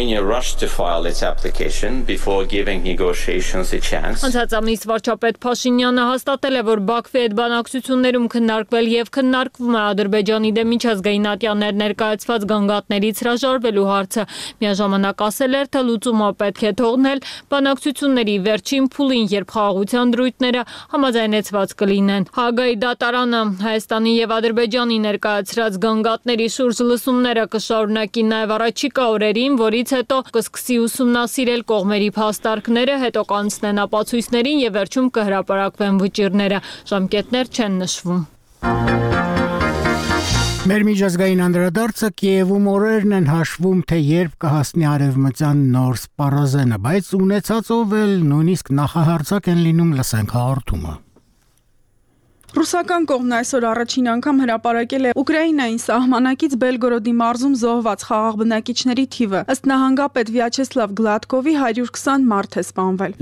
Անցած ամիս վարչապետ Փաշինյանը հաստատել է, որ Բաքվի հետ բանակցություններում քննարկվել եւ քննարկվում է Ադրբեջանի դեմ միջազգային ատյաններ ներկայացված գանգատներից հրաժարվելու հարցը։ Միաժամանակ ասել էր, թե լուծումը պետք է թողնել բանակցությունների վերջին փուլին, երբ խաղաղության դրույթները համաձայնեցված կլինեն։ Հաագայի դատարանը Հայաստանի եւ Ադրբեջանի ներկայացրած գանգատների շուրջ լսումները կշարունակի նաեւ առաջիկա օրերին, որից հետո կսկսի ուսումնասիրել կողմերի փաստարկները, հետո կանցնեն ապացույցներին եւ վերջում կհրապարակվեն վճիռները։ Ժամկետներ չեն նշվում։ Մեր միջազգային անդրադարձը Կիևում օրերն են հաշվում, թե երբ կհասնի արևմտյան նոր սպառազենը, բայց ունեցածով էլ նույնիսկ նախահարձակ են լինում, լսենք հաղորդումը։ Ռուսական կողմն այսօր առաջին անգամ հրապարակել է Ուկրաինային սահմանակից Բելգորոդի մարզում զոհված խաղաղ բնակիչների թիվը։ Ըստ նահանգապետ Վյաչեսլավ Գլադկովի 120 մարդ է սպանվել։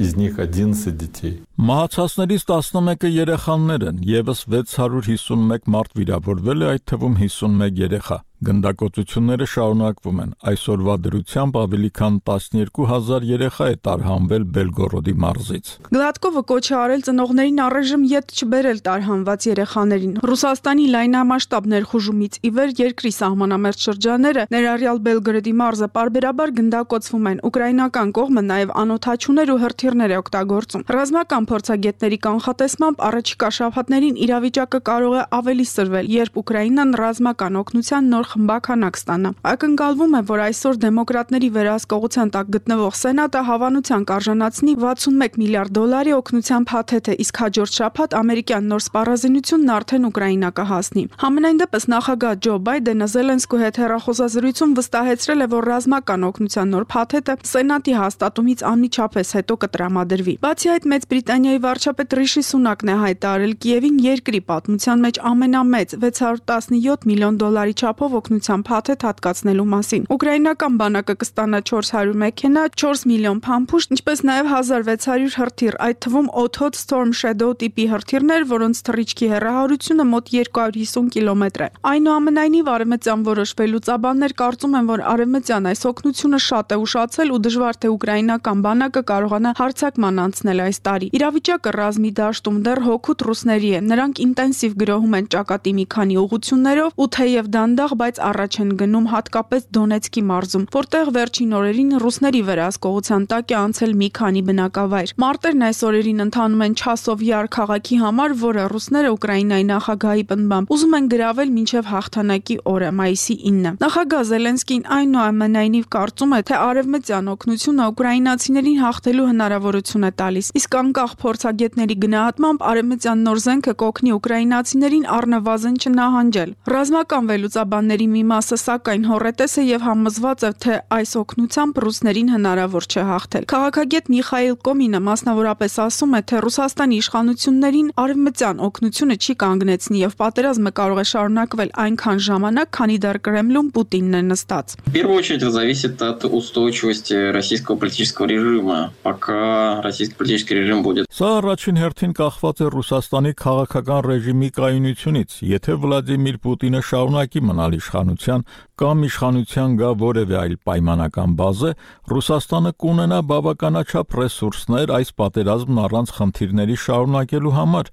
Մահացածներից 11-ը երեխաներ են, եւս 651 մարդ վիրավորվել է, այդ թվում 51 երեխա։ Գնդակոծությունները շարունակվում են։ Այսօրվա դրությամբ ավելի քան 12000 երեխա է տարհանվել Բելգորոդի մարզից։ Գլադկովը կոչ է արել ծնողներին առայժմ ետ չբերել տարհանված երեխաներին։ Ռուսաստանի լայնամասշտաբ ներխուժումից ի վեր երկրի սահմանամերձ շրջանները, ներառյալ Բելգորոդի մարզը, պարբերաբար գնդակոծվում են։ Ուկրաինական կողմը նաև անօդաչուներ ու հրթիռներ է օգտագործում։ Ռազմական փորձագետների կանխատեսմամբ առաջիկա շաբաթներին իրավիճակը կարող է ավելի սրվել, երբ Ուկրաինան ռազմական օգնության նոր խմբականակ ստանա։ Ակնկալվում է, որ այսօր դեմոկրատների վերահսկողության տակ գտնվող Սենատը հավանության կարժանացնի $61 միլիարդ օգնության փաթեթը, իսկ հաջորդ շաբաթ ամերիկյան նոր սպառազինությունն արդեն Ուկրաինա կհասնի։ Համենայն դեպս նախագահ Ջո Բայդենը Զելենսկու հետ հեռախոսազրույցում վստահեցրել է, որ ռազմական օգնության նոր փաթեթը Սենատի հաստատումից անմիջապես հետո կտրամադրվի։ Բացի այդ, Մեծ Բրիտանիայի վարչապետ Ռիշի Սունակն է հայտարարել Կիևին երկրի պատմության մեջ ամենամեծ $617 միլիոն չափով օգնության փաթեթ հատկացնելու մասին։ Ուկրաինական բանակը կստանա 400 մեքենա, 4 միլիոն փամփուշտ, ինչպես նաև 1600 հրթիռ, այդ թվում Othot Storm Shadow տիպի հրթիռներ, որոնց թռիչքի հեռահարությունը մոտ 250 կիլոմետր է։ Այնուամենայնիվ արևմտյան որոշ վերլուծաբաններ կարծում են, որ արևմտյան այս օգնությունը շատ է ուշացել ու դժվար թե ուկրաինական բանակը կարողանա հարձակման անցնել այս տարի։ Իրավիճակը ռազմի դաշտում դեռ հօգուտ ռուսների է։ Նրանք ինտենսիվ գրոհում են ճակատի մի քանի ուղղություններով ու թեև դանդաղ, բայց առաջ են գնում հատկապես Դոնեցկի մարզում, որտեղ վերջին օրերին ռուսների վերահսկողության տակ է անցել մի քանի բնակավայր։ Մարտերն այս օրերին ընթանում են Չասով Յար քաղաքի համար, որը ռուսները Ուկրաինայի նախագահի պնդմամբ ուզում են գրավել մինչև հաղթանակի օրը, մայիսի 9-ը։ Նախագահ Զելենսկին այնուամենայնիվ կարծում է, թե արևմտյան օգնությունը ուկրաինացիներին հաղթելու հնարավորություն է տալիս, իսկ անկախ փորձագետների գնահատմամբ արևմտյան նոր զենքը կօգնի ուկրաինացիներին առնվազն չնահանջել։ Ռազմական վերլուծաբանների մի մասը սակայն հոռետես է եւ համոզված է, թե այս օգնությամբ ռուսներին հնարավոր չէ հաղթել։ Քաղաքագետ Միխայիլ Կոմինը մասնավորապես ասում է, թե Ռուսաստանի իշխանություններին արևմտյան օգնությունը չի կանգնեցնի եւ պատերազմը կարող է շարունակվել այնքան ժամանակ, քանի դեռ Կրեմլում Պուտինն է նստած։ В первую очередь это зависит от устойчивости российского политического режима. Пока российский политический режим будет Սա առաջին հերթին կախված է Ռուսաստանի քաղաքական ռեժիմի կայունությունից։ Եթե Վլադիմիր Պուտինը շարունակի մնալ իշխանության կամ իշխանության գա որևէ այլ պայմանական բազե, Ռուսաստանը կունենա բավականաչափ ռեսուրսներ այս պատերազմն առանց խնդիրների շարունակելու համար։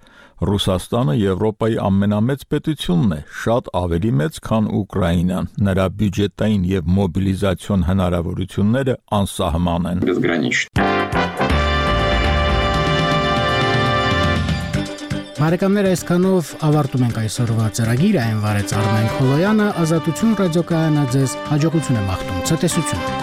Ռուսաստանը Եվրոպայի ամենամեծ պետությունն է, շատ ավելի մեծ, քան Ուկրաինան։ Նրա բյուջետային եւ մոբիլիզացիոն հնարավորությունները անսահման են։ Բարեկամներ, այսքանով ավարտում ենք այսօրվա ծրագիրը, այն վարեց Արմեն Քոլոյանը, Ազատություն ռադիոկայանը ձեզ հաջողություն է մաղթում, ցտեսություն։